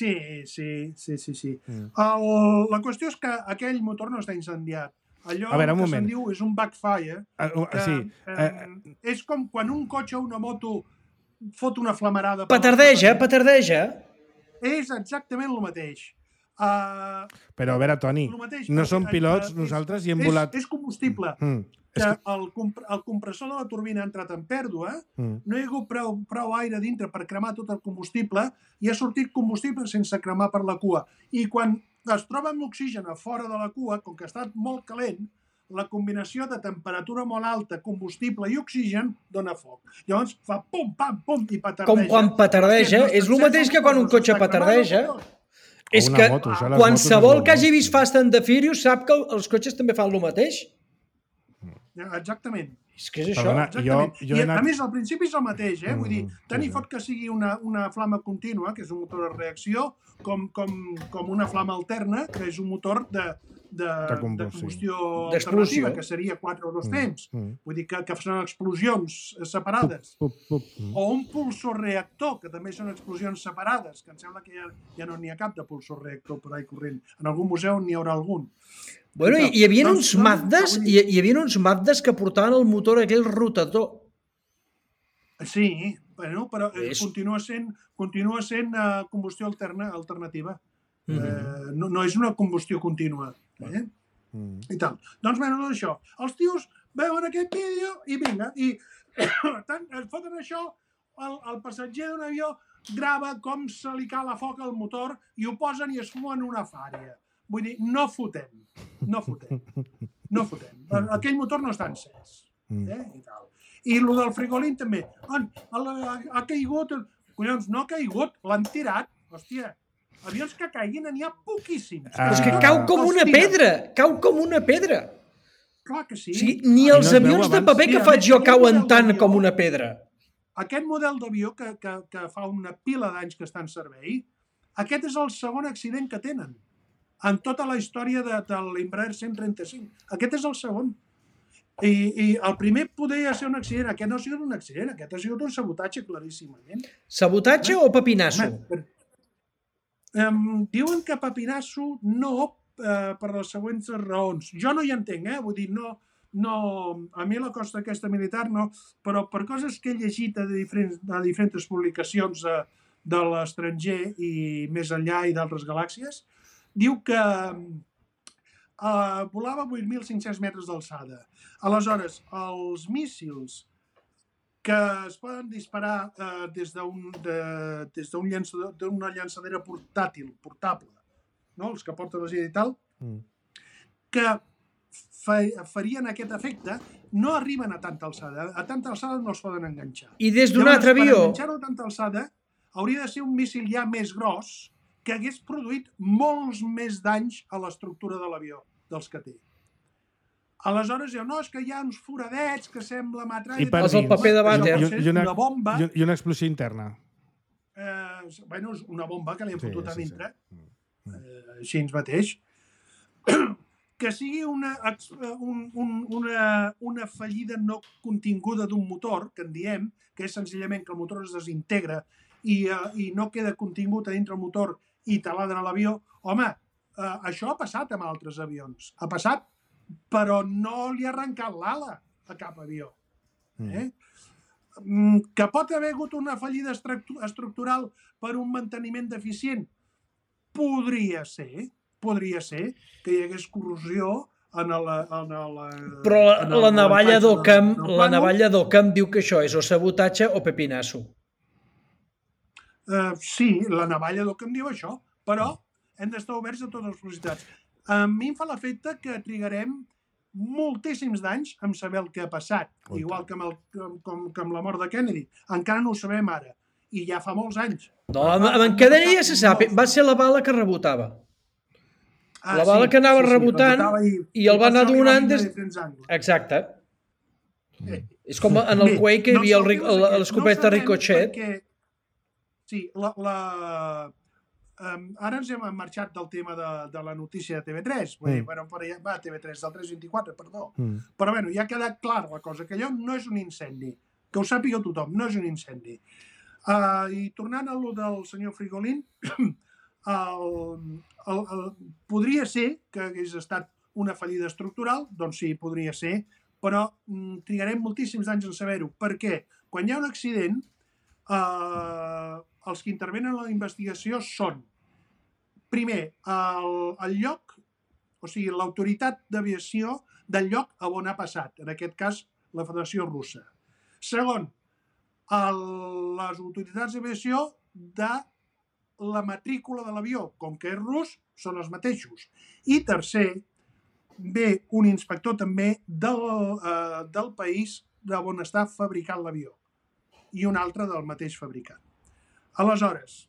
Sí, sí, sí, sí. sí. Mm. El, la qüestió és que aquell motor no està incendiat. Allò A veure, un que moment. se'n diu és un backfire. Ah, uh, Que, sí. eh, Eh, és com quan un cotxe o una moto fot una flamarada... per Petardeja, les- petardeja. És exactament el mateix. Uh, Però, a veure, Toni, mateix, no som pilots, és, nosaltres hi hem és, volat... És combustible. Mm. Que el, comp el compressor de la turbina ha entrat en pèrdua, mm. no hi ha hagut prou, prou aire dintre per cremar tot el combustible i ha sortit combustible sense cremar per la cua. I quan es troba amb l'oxigen a fora de la cua, com que ha estat molt calent, la combinació de temperatura molt alta, combustible i oxigen dona foc. Llavors fa pum, pam, pum i petardeja. Com quan petardeja, és el mateix que quan un cotxe petardeja. És que moto, això, qualsevol que hagi vist Fast and the Furious sap que els cotxes també fan el mateix. Exactament. És que és això. Perdona, jo, jo I, anat... a més, al principi és el mateix, eh? Mm, Vull dir, tant sí, hi fot que sigui una, una flama contínua, que és un motor de reacció, com, com, com una flama alterna, que és un motor de, de, de combustió alternativa, que seria quatre o dos temps. Mm, mm. Vull dir que, que són explosions separades. Pup, pup, pup. O un pulsor reactor, que també són explosions separades, que em sembla que ja, ja no n'hi ha cap de pulsor reactor per ahí corrent. En algun museu n'hi haurà algun. Bueno, hi, hi havia doncs, uns Mazdes, hi, hi havia uns Mazdes que portaven el motor aquell rotador. Sí, bueno, però és... continua sent, continua sent uh, combustió alterna, alternativa. Mm -hmm. uh, no, no és una combustió contínua. Eh? Mm. I tal. Doncs, bueno, doncs això. Els tios veuen aquest vídeo i vinga, i tant, es foten això, el, el passatger d'un avió grava com se li cala foc al motor i ho posen i es fumen una fària. Vull dir, no fotem. No fotem. No fotem. Aquell motor no està encès. Eh? I tal. I el del frigolín també. Ha, ha caigut... Collons, no ha caigut. L'han tirat. Hòstia, avions que caiguin n'hi ha poquíssims. Ah. És que cau com una pedra. Cau com una pedra. Clar que sí. O sigui, ni els avions de paper que faig jo cauen tant com una pedra. Aquest model d'avió que, que, que fa una pila d'anys que està en servei, aquest és el segon accident que tenen en tota la història de, de l'Embraer cent trenta-cinc. Aquest és el segon. I, I el primer podria ser un accident. Aquest no ha sigut un accident, aquest ha sigut un sabotatge claríssimament. Sabotatge o papinasso? Home, um, diuen que papinasso no, uh, per les següents raons. Jo no hi entenc, eh? Vull dir, no, no, a mi la costa aquesta militar no, però per coses que he llegit a diferents, a diferents publicacions de, de l'estranger i més enllà i d'altres galàxies, diu que uh, volava vuit mil cinc-cents metres d'alçada. Aleshores, els míssils que es poden disparar uh, des d'un de, llançador, d'una llançadera portàtil, portable, no? Els que porten la gira i tal, mm. que fa, farien aquest efecte, no arriben a tanta alçada. A tanta alçada no els poden enganxar. I des d'un altre avió? Per enganxar-ho a tanta alçada hauria de ser un míssil ja més gros que hagués produït molts més danys a l'estructura de l'avió dels que té. Aleshores, no, és que hi ha uns foradets que sembla metralla... I per dins. El paper de vàter. I una, una bomba... I una explosió interna. Eh, bueno, és una bomba que li han fotut sí, a dintre. Sí, sí. Eh, així ens mateix. Que sigui una, un, un, una, una fallida no continguda d'un motor, que en diem, que és senzillament que el motor es desintegra i, uh, i no queda contingut a dintre el motor i taladra a l'avió. Home, uh, això ha passat amb altres avions. Ha passat, però no li ha arrencat l'ala a cap avió. Eh? Mm. Que pot haver hagut una fallida estructural per un manteniment deficient? Podria ser. Podria ser que hi hagués corrosió en la... En la però la, en el, la navalla d'Occam la navalla d'Occam diu que això és o sabotatge o pepinasso. Uh, sí, la navalla d'Occam diu això, però hem d'estar oberts a totes les possibilitats. A mi em fa l'efecte que trigarem moltíssims d'anys en saber el que ha passat, okay. Igual que amb, el, com, que amb la mort de Kennedy. Encara no ho sabem ara, i ja fa molts anys. No, amb, amb en Kennedy ja se sap, va ser la bala que rebotava. Ah, la bala sí, que anava sí, sí, rebotant i, i el va anar donant des... Exacte. Mm. És com en el Quake que hi havia no l'escopeta no Ricochet. Perquè... Sí, la... la... Um, ara ens hem marxat del tema de, de la notícia de T V tres. Vull dir, mm. bueno, per allà, va, T V tres, del tres vint-i-quatre, perdó. Mm. Però bueno, ja ha quedat clar la cosa, que allò no és un incendi. Que ho sàpiga tothom, no és un incendi. Uh, I tornant a lo del senyor Frigolín, el, el, el, podria ser que hagués estat una fallida estructural, doncs sí, podria ser, però mm, trigarem moltíssims anys en saber-ho. Per què? Quan hi ha un accident, eh, els que intervenen en la investigació són primer, el, el lloc, o sigui, l'autoritat d'aviació del lloc a on ha passat, en aquest cas la Federació Russa. Segon, el, les autoritats d'aviació de la matrícula de l'avió, com que és rus, són els mateixos. I tercer, ve un inspector també del, eh, del país on està fabricant l'avió i un altre del mateix fabricant. Aleshores,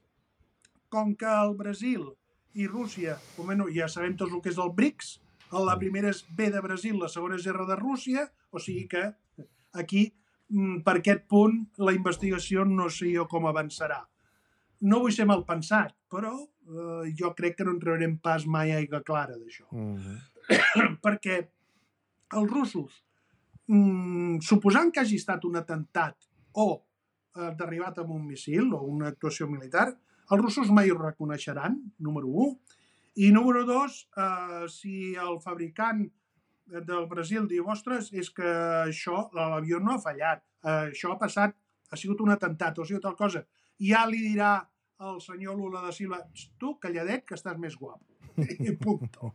com que el Brasil i Rússia, bueno, ja sabem tots el que és el BRICS, la primera és B de Brasil, la segona és R de Rússia, o sigui que aquí, per aquest punt, la investigació no sé jo com avançarà. No vull ser mal pensat, però eh, jo crec que no en traurem pas mai aigua clara d'això. Mm-hmm. Perquè els russos, mm, suposant que hagi estat un atemptat o eh, derribat amb un missil o una actuació militar, els russos mai ho reconeixeran, número un. I número dos, eh, si el fabricant del Brasil diu, ostres, és que això, l'avió no ha fallat, eh, això ha passat, ha sigut un atemptat o ha sigut tal cosa, ja li dirà el senyor Lula da Silva, tu, calladet, que estàs més guapo. I punto.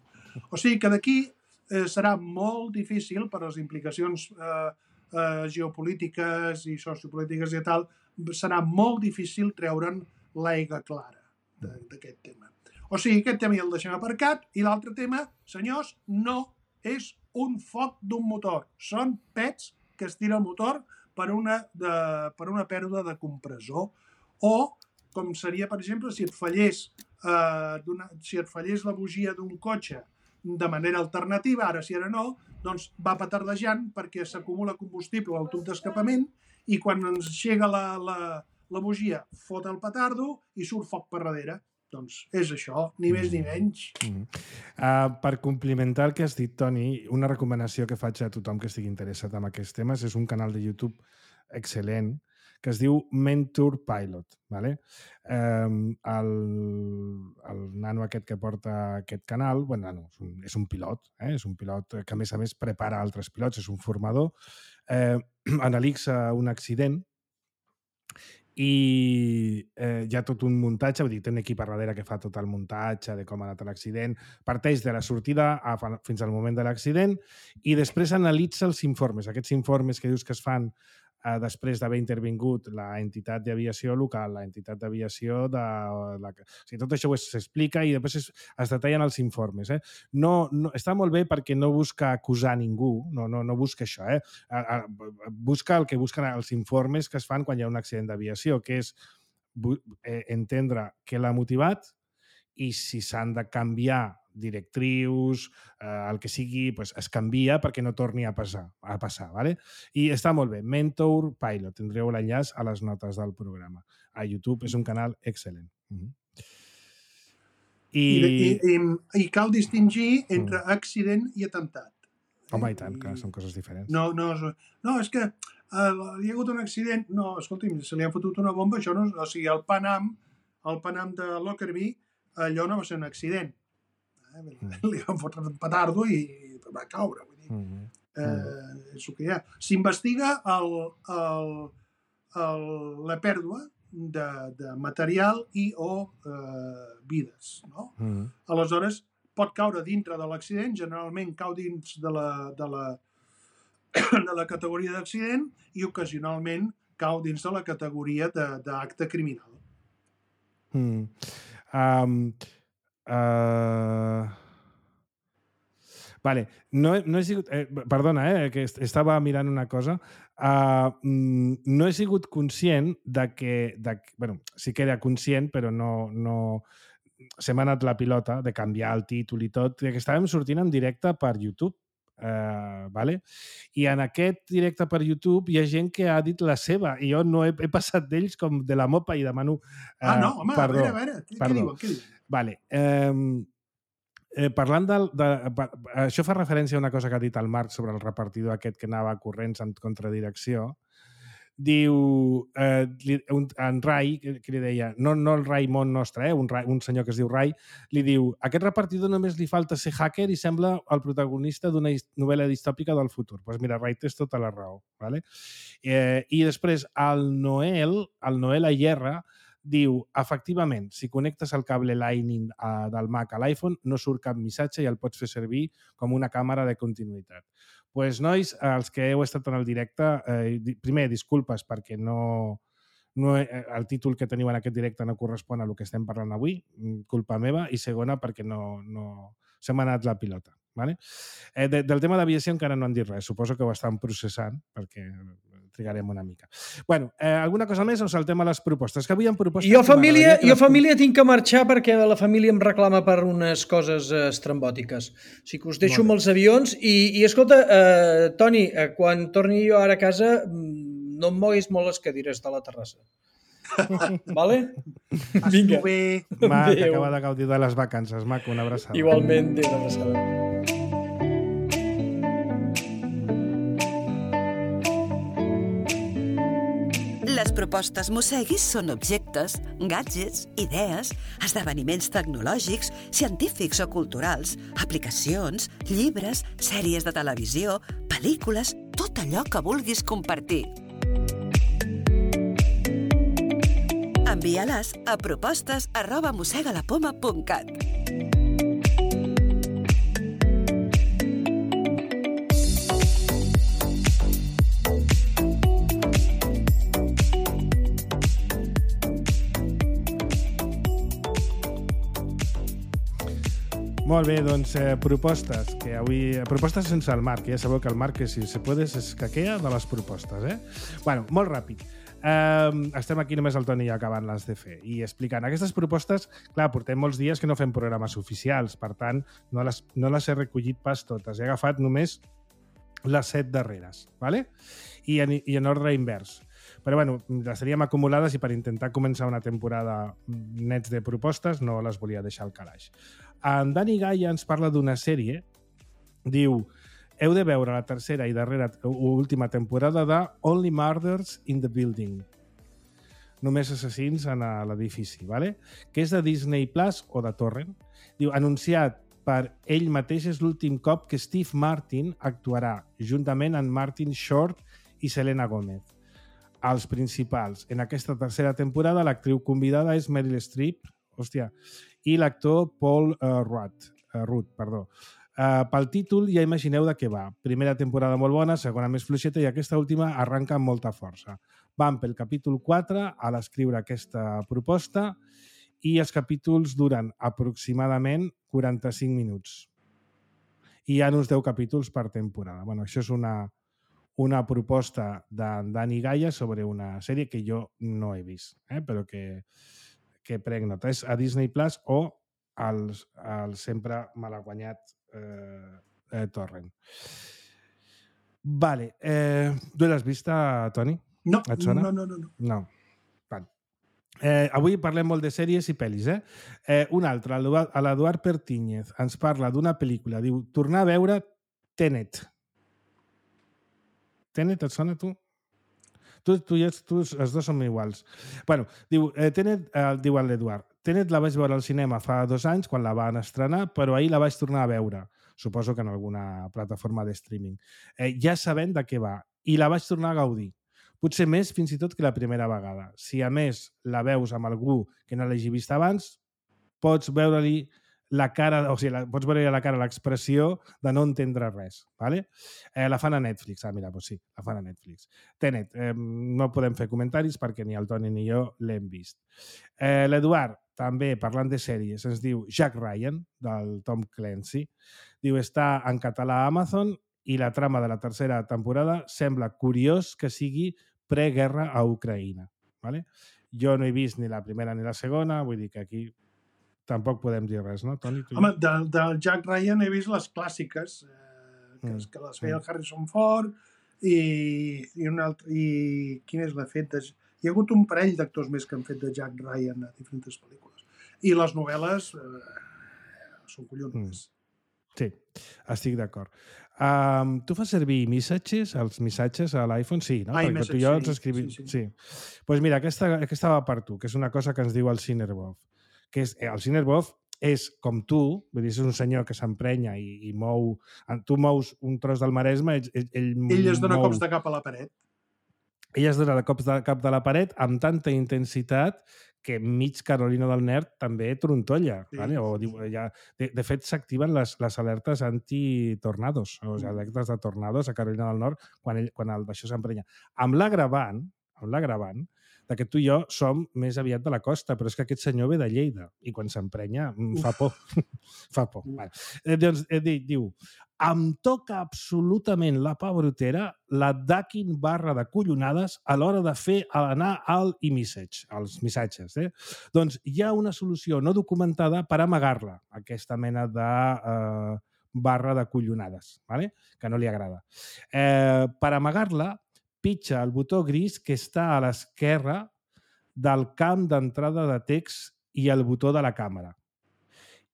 O sigui que d'aquí eh, serà molt difícil per les implicacions eh, eh, geopolítiques i sociopolítiques i tal, serà molt difícil treure'n l'aigua clara d'aquest tema. O sigui, aquest tema ja el deixem aparcat i l'altre tema, senyors, no és un foc d'un motor. Són pets que es tira el motor per una, de, per una pèrdua de compressor o com seria, per exemple, si et fallés, eh, si et fallés la bugia d'un cotxe de manera alternativa, ara sí, ara no, doncs va petardejant perquè s'acumula combustible al tub d'escapament i quan ens llega la, la, la bugia fot el petardo i surt foc per darrere. Doncs és això, ni més ni menys. Mm-hmm. uh, per complementar el que has dit, Toni, una recomanació que faig a tothom que estigui interessat en aquests temes és un canal de YouTube excel·lent que es diu Mentor Pilot. Vale? Um, el, el nano aquest que porta aquest canal, bueno, no, és, un, és un pilot, eh? És un pilot que a més a més prepara altres pilots, és un formador, eh, analitza un accident i eh, hi ha tot un muntatge, vull dir, té un equip a darrere que fa tot el muntatge de com ha anat l'accident, parteix de la sortida a, fins al moment de l'accident i després analitza els informes, aquests informes que dius que es fan eh, després d'haver intervingut la entitat d'aviació local, la entitat d'aviació de... La... O sigui, tot això s'explica i després es, es detallen els informes. Eh? No, no, està molt bé perquè no busca acusar ningú, no, no, no busca això, eh? A, a, busca el que busquen els informes que es fan quan hi ha un accident d'aviació, que és eh, entendre què l'ha motivat i si s'han de canviar directrius, eh, el que sigui, pues, es canvia perquè no torni a passar. A passar ¿vale? I està molt bé. Mentor Pilot. Tindreu l'enllaç a les notes del programa. A YouTube és un canal excel·lent. Mm-hmm. I... I, i, I cal distingir entre accident i atemptat. Home, i tant, que són coses diferents. No, no, no és que uh, hi ha hagut un accident... No, escolti'm, se li ha fotut una bomba, això no... O sigui, el Panam, el Panam de Lockerbie, allò no va ser un accident. Eh? Mm. Li van fotre un petardo i va caure. Vull dir. Mm. Eh, és el que hi ha. S'investiga el, el, el, la pèrdua de, de material i o eh, vides. No? Mm. Aleshores, pot caure dintre de l'accident, generalment cau dins de la, de la, de la categoria d'accident i ocasionalment cau dins de la categoria d'acte criminal. Mm. Um, uh... Vale, no, no he sigut... Eh, perdona, eh, que estava mirant una cosa. Uh, no he sigut conscient de que... De, bueno, sí que era conscient, però no... no se m'ha anat la pilota de canviar el títol i tot, que estàvem sortint en directe per YouTube. Uh, vale? I en aquest directe per YouTube hi ha gent que ha dit la seva i jo no he, he passat d'ells com de la mopa i demano uh, ah, no, home, perdó. A veure, a veure, què, què diuen? Què diuen? Vale. Um, eh, parlant del... De, de, això fa referència a una cosa que ha dit el Marc sobre el repartidor aquest que anava corrents en contradirecció. Diu, eh, un, en Rai, que, que li deia, no, no el Rai món nostre, eh, un, Rai, un senyor que es diu Rai, li diu, a aquest repartidor només li falta ser hacker i sembla el protagonista d'una novel·la distòpica del futur. Doncs pues mira, Rai, tens tota la raó. ¿Vale? Eh, I després, el Noel, el Noel Ayerra, diu, efectivament, si connectes el cable Lightning uh, del Mac a l'iPhone, no surt cap missatge i el pots fer servir com una càmera de continuïtat. Doncs, pues, nois, els que heu estat en el directe, eh, primer, disculpes perquè no, no, el títol que teniu en aquest directe no correspon a el que estem parlant avui, culpa meva, i segona, perquè no, no... se m'ha anat la pilota. Vale? Eh, de, del tema d'aviació encara no han dit res, suposo que ho estan processant, perquè trigarem una mica. Bueno, eh, alguna cosa més o saltem a les propostes? Que avui hi ha propostes... Jo, família, jo família tinc que marxar perquè la família em reclama per unes coses eh, estrambòtiques. O sigui que us deixo amb els avions i, i escolta, eh, Toni, eh, quan torni jo ara a casa, no em moguis molt les cadires de la terrassa. Vale? Vinga. Bé. Va, que acaba de gaudir de les vacances, maco, una abraçada. Igualment, una abraçada. Les propostes Mosseguis són objectes, gadgets, idees, esdeveniments tecnològics, científics o culturals, aplicacions, llibres, sèries de televisió, pel·lícules, tot allò que vulguis compartir. Envia-les a propostes arroba mossegalapoma punt cat. Molt bé, doncs eh, propostes, que avui... Propostes sense el Marc, ja sabeu que el Marc, si se puede, es caquea de les propostes, eh? Bueno, molt ràpid. Um, estem aquí només el Toni i acabant-les de fer i explicant. Aquestes propostes, clar, portem molts dies que no fem programes oficials, per tant, no les, no les he recollit pas totes. He agafat només les set darreres, ¿vale? I en, i en ordre invers. Però, bueno, les teníem acumulades i per intentar començar una temporada nets de propostes no les volia deixar al calaix. En Dani Gaia ens parla d'una sèrie, diu, heu de veure la tercera i darrera última temporada de Only Murders in the Building. Només assassins en l'edifici, ¿vale? Que és de Disney Plus o de Torrent. Diu, anunciat per ell mateix és l'últim cop que Steve Martin actuarà juntament amb Martin Short i Selena Gomez. Els principals. En aquesta tercera temporada l'actriu convidada és Meryl Streep, hòstia, i l'actor Paul uh, Rudd, uh, Rudd, perdó. Uh, pel títol ja imagineu de què va. Primera temporada molt bona, segona més fluixeta i aquesta última arranca amb molta força. Vam pel capítol quatre a l'escriure aquesta proposta i els capítols duren aproximadament quaranta-cinc minuts. I hi ha uns deu capítols per temporada. Bueno, això és una, una proposta de Dani Gaia sobre una sèrie que jo no he vist, eh? Però que, que prenc nota. És a Disney Plus o al, al sempre malaguanyat eh, eh, Torrent. Vale. Eh, tu l'has vista, Toni? No, Et sona? no, no, no. no. No. Vale. Eh, avui parlem molt de sèries i pel·lis, eh? eh un altre, l'Eduard Pertíñez, ens parla d'una pel·lícula. Diu, tornar a veure Tenet. Tenet, et sona, tu? Tu, tu i els, tu, els dos som iguals. Bueno, diu, eh, Tenet, eh, diu l'Eduard, Tenet la vaig veure al cinema fa dos anys quan la van estrenar, però ahir la vaig tornar a veure. Suposo que en alguna plataforma de streaming. Eh, ja sabent de què va. I la vaig tornar a gaudir. Potser més fins i tot que la primera vegada. Si a més la veus amb algú que no l'hagi vist abans, pots veure-li la cara, o sigui, la, pots veure la cara, l'expressió de no entendre res. ¿Vale? Eh, la fan a Netflix. Ah, mira, doncs sí, la fan a Netflix. Tenet, eh, no podem fer comentaris perquè ni el Toni ni jo l'hem vist. Eh, L'Eduard, també parlant de sèries, ens diu Jack Ryan, del Tom Clancy. Diu, està en català a Amazon i la trama de la tercera temporada sembla curiós que sigui preguerra a Ucraïna. ¿Vale? Jo no he vist ni la primera ni la segona, vull dir que aquí tampoc podem dir res, no, Toni? Home, del, del Jack Ryan he vist les clàssiques, eh, que, mm. que les feia el Harrison Ford i, i, un altre, i quin és l'efecte? De... Hi ha hagut un parell d'actors més que han fet de Jack Ryan a diferents pel·lícules. I les novel·les eh, són collonudes. Mm. Sí, estic d'acord. Um, tu fas servir missatges, els missatges a l'iPhone? Sí, no? Ai, perquè tu i jo ens escrivim... Sí, sí. sí. Pues mira, aquesta, aquesta va per tu, que és una cosa que ens diu el Cinerbov. Que és, el Cinerbov és com tu, vull dir, és un senyor que s'emprenya i, i mou... Tu mous un tros del Maresme, ell, ell, ell es dona mou... cops de cap a la paret. ella es dona de cops de cap de la paret amb tanta intensitat que mig Carolina del Nord també trontolla. Sí, vale? O, sí, diu, sí. ja, de, de fet, s'activen les, les alertes anti-tornados, o sigui, alertes de tornados a Carolina del Nord quan, ell, quan el d'això s'emprenya. Amb l'agravant, amb l'agravant, que tu i jo som més aviat de la costa, però és que aquest senyor ve de Lleida i quan s'emprenya fa por. fa por. Vale. Eh, doncs, eh, diu, em toca absolutament la pabrotera la ducking barra de collonades a l'hora de fer anar al e-message, als missatges. Eh? Doncs hi ha una solució no documentada per amagar-la, aquesta mena de eh, barra de collonades, ¿vale? Que no li agrada. Eh, per amagar-la, pitja el botó gris que està a l'esquerra del camp d'entrada de text i el botó de la càmera.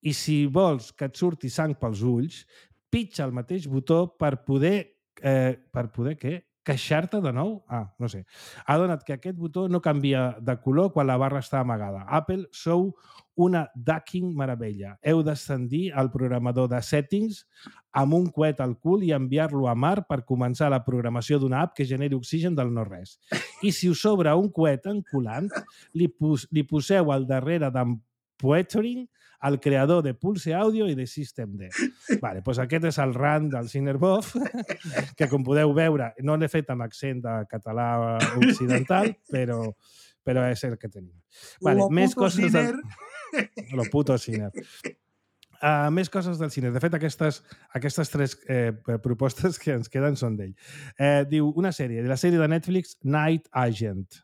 I si vols que et surti sang pels ulls, pitja el mateix botó per poder... Eh, per poder què? Queixar-te de nou? Ah, no sé. Ha donat que aquest botó no canvia de color quan la barra està amagada. Apple, sou una ducking meravella. Heu d'ascendir al programador de settings amb un coet al cul i enviar-lo a mar per començar la programació d'una app que generi oxigen del no-res. I si us sobra un coet enculant, li, pos li poseu al darrere d'en Poetering, el creador de Pulse Audio i de System D. Vale, doncs aquest és el rant del Cinerbof, que com podeu veure, no l'he fet amb accent de català occidental, però, però és el que tenim. Vale, Lo més puto coses Ciner. del... Lo puto Ciner. Uh, més coses del cine. De fet, aquestes, aquestes tres eh, propostes que ens queden són d'ell. Eh, diu una sèrie, de la sèrie de Netflix Night Agent.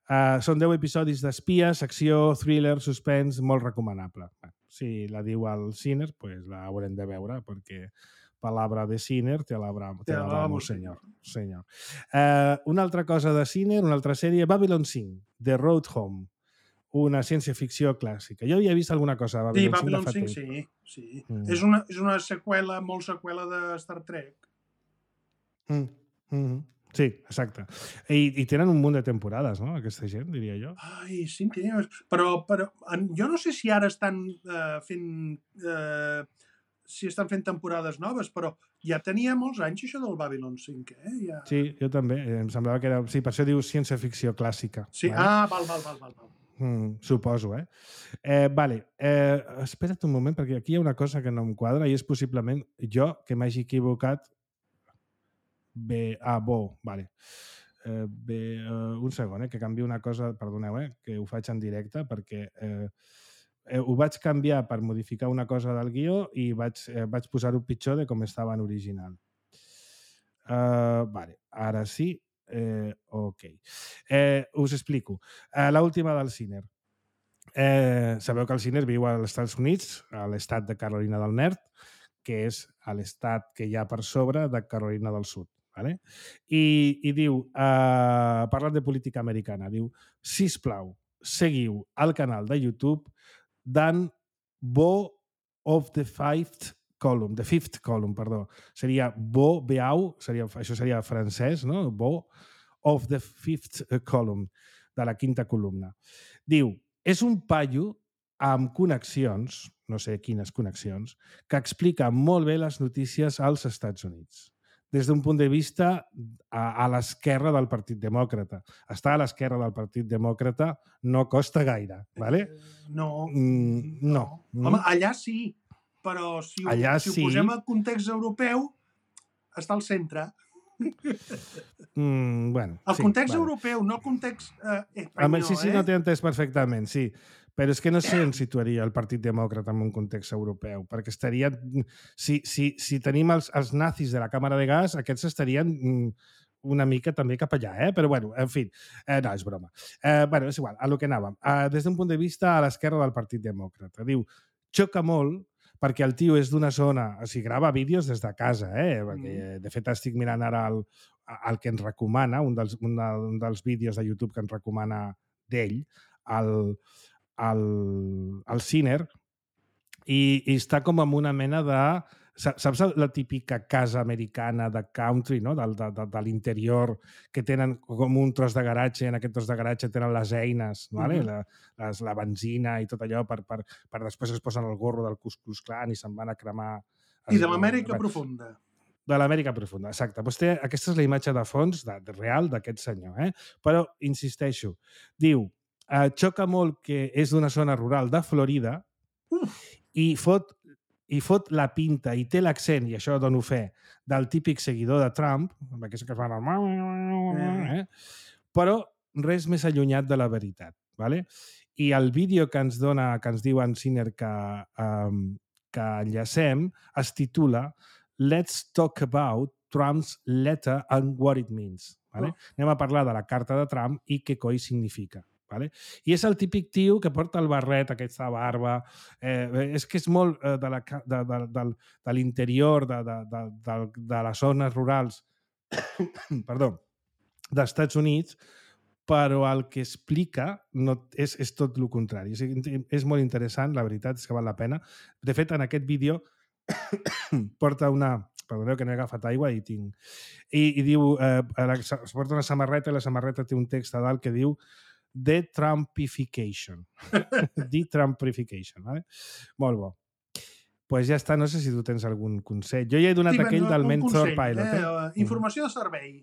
Uh, són deu episodis d'espies, acció, thriller, suspens, molt recomanable. Bueno, si la diu al Ciner, pues la haurem de veure, perquè palabra de Ciner te la damos, senyor. senyor. Uh, una altra cosa de Ciner, una altra sèrie, Babylon cinc, The Road Home, una ciència-ficció clàssica. Jo havia vist alguna cosa de Babylon, sí, Babylon cinc. cinc, sí. sí. Mm. És, una, és una seqüela, molt seqüela de Star Trek. Mm. Mm-hmm. Sí, exacte. I, I tenen un munt de temporades, no?, aquesta gent, diria jo. Ai, sí, tenia... Però, però en, jo no sé si ara estan uh, fent... Uh, si estan fent temporades noves, però ja tenia molts anys això del Babylon cinc, eh? Ja... Sí, jo també. Em semblava que era... Sí, per això diu ciència-ficció clàssica. Sí, vale? ah, val, val, val, val. val. Mm, suposo, eh? eh vale. Eh, espera't un moment, perquè aquí hi ha una cosa que no em quadra i és possiblement jo que m'hagi equivocat. Bé, ah, bo, vale. Eh, bé, uh, un segon, eh, que canvio una cosa, perdoneu, eh, que ho faig en directe, perquè eh, eh, ho vaig canviar per modificar una cosa del guió i vaig, eh, vaig posar-ho pitjor de com estava en original. Uh, vale, ara sí. Eh, ok. Eh, us explico. Eh, l'última del Ciner. Eh, sabeu que el Ciner viu als Estats Units, a l'estat de Carolina del Nord, que és l'estat que hi ha per sobre de Carolina del Sud. Vale? I, i diu, uh, parlant de política americana, diu, sisplau, seguiu el canal de YouTube d'en Bo of the Fifth Column, the Fifth Column, perdó. Seria Bo Beau, seria, això seria francès, no? Bo of the Fifth Column, de la quinta columna. Diu, és un paio amb connexions, no sé quines connexions, que explica molt bé les notícies als Estats Units. Des d'un punt de vista a, a l'esquerra del Partit Demòcrata. Estar a l'esquerra del Partit Demòcrata no costa gaire, ¿vale? Eh, no, mm, no. no. Home, allà sí, però si ho, allà si ho sí. posem al context europeu, està al centre. Mm, bueno, el sí, context vale. europeu, no el context eh, espanyol, sí, sí, eh? no t'he entès perfectament, sí. Però és que no sé on situaria el Partit Demòcrata en un context europeu, perquè estaria... Si, si, si tenim els, els nazis de la càmera de gas, aquests estarien una mica també cap allà, eh? Però, bueno, en fi, eh, no, és broma. Eh, bueno, és igual, a lo que anàvem. Eh, des d'un punt de vista a l'esquerra del Partit Demòcrata. Diu, xoca molt perquè el tio és d'una zona... O sigui, grava vídeos des de casa, eh? Perquè, de fet, estic mirant ara el, el que ens recomana, un dels, un, de, un dels vídeos de YouTube que ens recomana d'ell, el... al, al Ciner i, i està com amb una mena de... Saps la típica casa americana de country, no? de, de, de, de l'interior, que tenen com un tros de garatge, en aquest tros de garatge tenen les eines, vale? Uh-huh. la, les, la benzina i tot allò, per, per, per després es posen el gorro del Ku Klux Klan i se'n van a cremar... I de l'Amèrica profunda. De l'Amèrica profunda, exacte. Pues té, aquesta és la imatge de fons de, de real d'aquest senyor. Eh? Però, insisteixo, diu, eh, xoca molt que és d'una zona rural de Florida i fot, i fot la pinta i té l'accent, i això dono fe, del típic seguidor de Trump, amb aquest que es fa... Eh? Però res més allunyat de la veritat. Vale? I el vídeo que ens dona, que ens diu en Sinner que, um, que enllacem, es titula Let's talk about Trump's letter and what it means. Vale? Oh. Anem a parlar de la carta de Trump i què coi significa. Vale? I és el típic tio que porta el barret, aquesta barba, eh, és que és molt eh, de, la, de, de, de, de l'interior, de, de, de, de, de les zones rurals perdó, dels Estats Units, però el que explica no, és, és tot el contrari. És, és molt interessant, la veritat és que val la pena. De fet, en aquest vídeo porta una... Perdoneu que no he agafat aigua i tinc... I, i diu... Eh, es porta una samarreta i la samarreta té un text a dalt que diu De-Trumpification. De-Trumpification, vale? Molt bo. Doncs pues ja està, no sé si tu tens algun consell. Jo ja he donat sí, aquell no, del Mentor Pilot. Eh? Eh? Informació de servei.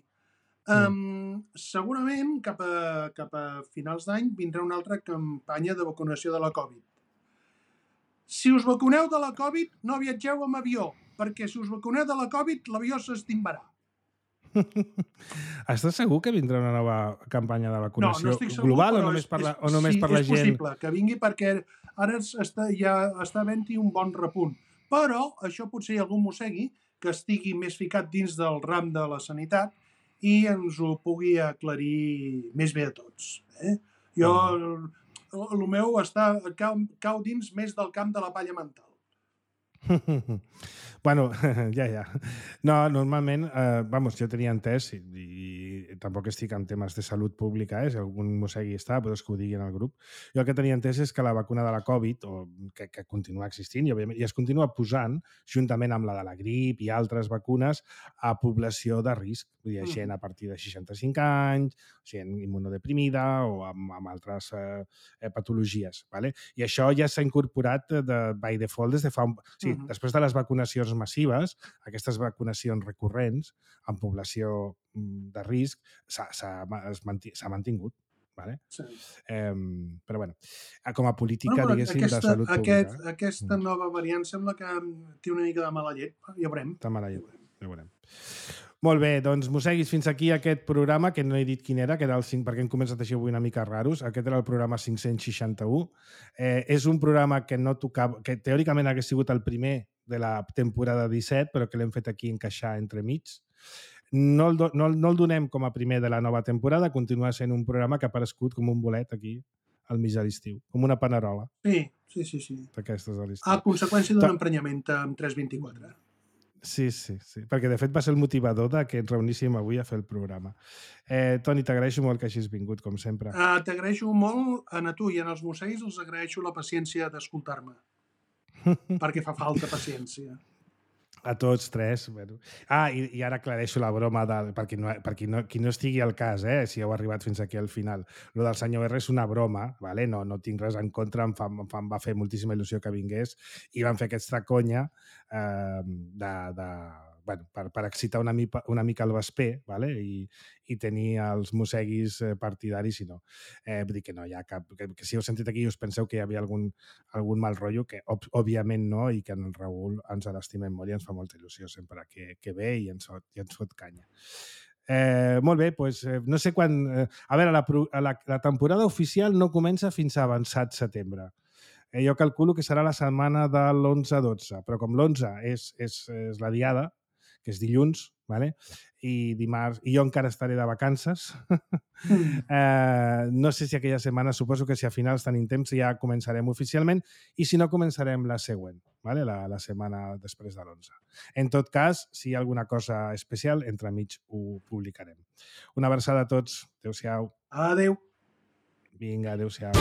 Um, mm. Segurament cap a, cap a finals d'any vindrà una altra campanya de vacunació de la Covid. Si us vacuneu de la Covid, no viatgeu amb avió, perquè si us vacuneu de la Covid, l'avió s'estimbarà. Estàs segur que vindrà una nova campanya de vacunació no, no estic segur, global o només per la, o només sí, per la gent? Sí, és possible que vingui perquè ara està, ja està havent-hi un bon repunt. Però això potser algú mossegui que estigui més ficat dins del ram de la sanitat i ens ho pugui aclarir més bé a tots. Eh? Jo, el, el meu està, cau, cau dins més del camp de la palla mental. Bueno, ja, ja. No, normalment, eh, vamos, jo tenia entès, i, i tampoc estic en temes de salut pública, eh, si algun mossegui està, però que ho digui en el grup. Jo el que tenia entès és que la vacuna de la Covid, o que, que continua existint, i, òbviament, i es continua posant, juntament amb la de la grip i altres vacunes, a població de risc. Vull dir, gent a partir de seixanta-cinc anys, gent immunodeprimida o amb, amb altres eh, patologies. Vale? I això ja s'ha incorporat de, by default des de fa un... Sí, uh-huh. Després de les vacunacions massives, aquestes vacunacions recurrents en població de risc s'ha mantingut. Vale? Sí. Eh, però, bueno, com a política, bueno, diguéssim, aquesta, de salut aquest, pública. Aquesta nova variant sembla que té una mica de mala llet. Ja veurem. De mala llet, ja veurem. Molt bé, doncs, mosseguis, fins aquí aquest programa, que no he dit quin era, que era el cinc, perquè hem començat així avui una mica raros. Aquest era el programa cinc-cents seixanta-u. Eh, és un programa que no tocava, que teòricament hagués sigut el primer de la temporada disset, però que l'hem fet aquí encaixar entre mig. No el, do, no, no el donem com a primer de la nova temporada, continua sent un programa que ha aparegut com un bolet aquí al mig de l'estiu, com una panerola. Sí, sí, sí. sí. D'aquestes de l'estiu. A conseqüència d'un emprenyament amb tres vint-i-quatre. Sí, sí, sí, perquè de fet va ser el motivador de que ens reuníssim avui a fer el programa. Eh, Toni, t'agraeixo molt que hagis vingut, com sempre. Uh, t'agraeixo molt a tu i als mosseguis els agraeixo la paciència d'escoltar-me, perquè fa falta paciència. A tots tres. Bueno. Ah, i, i ara aclareixo la broma, del, per, qui no, per qui, no, qui no estigui al cas, eh, si heu arribat fins aquí al final. Lo del senyor R és una broma, vale? no, no tinc res en contra, em, fa, em, fa, em va fer moltíssima il·lusió que vingués i van fer aquesta conya eh, de, de, bueno, per, per excitar una mica, una mica el vesper, vale? I, i tenir els mosseguis partidaris, i no. Eh, vull dir que no hi ha cap... Que, que si heu sentit aquí i us penseu que hi havia algun, algun mal rotllo, que ob, òbviament no, i que en el Raül ens l'estimem molt i ens fa molta il·lusió sempre que, que ve i ens, i ens fot canya. Eh, molt bé, doncs eh, no sé quan... Eh, a veure, la, la, la temporada oficial no comença fins a avançat setembre. Eh, jo calculo que serà la setmana de l'onze a dotze, però com l'onze és, és, és la diada, que és dilluns, vale? I dimarts, i jo encara estaré de vacances. Mm. eh, no sé si aquella setmana, suposo que si a finals tenim temps ja començarem oficialment, i si no començarem la següent, vale? la, la setmana després de l'onze. En tot cas, si hi ha alguna cosa especial, entremig ho publicarem. Una abraçada a tots. Adéu-siau. Adéu. Vinga, adéu-siau.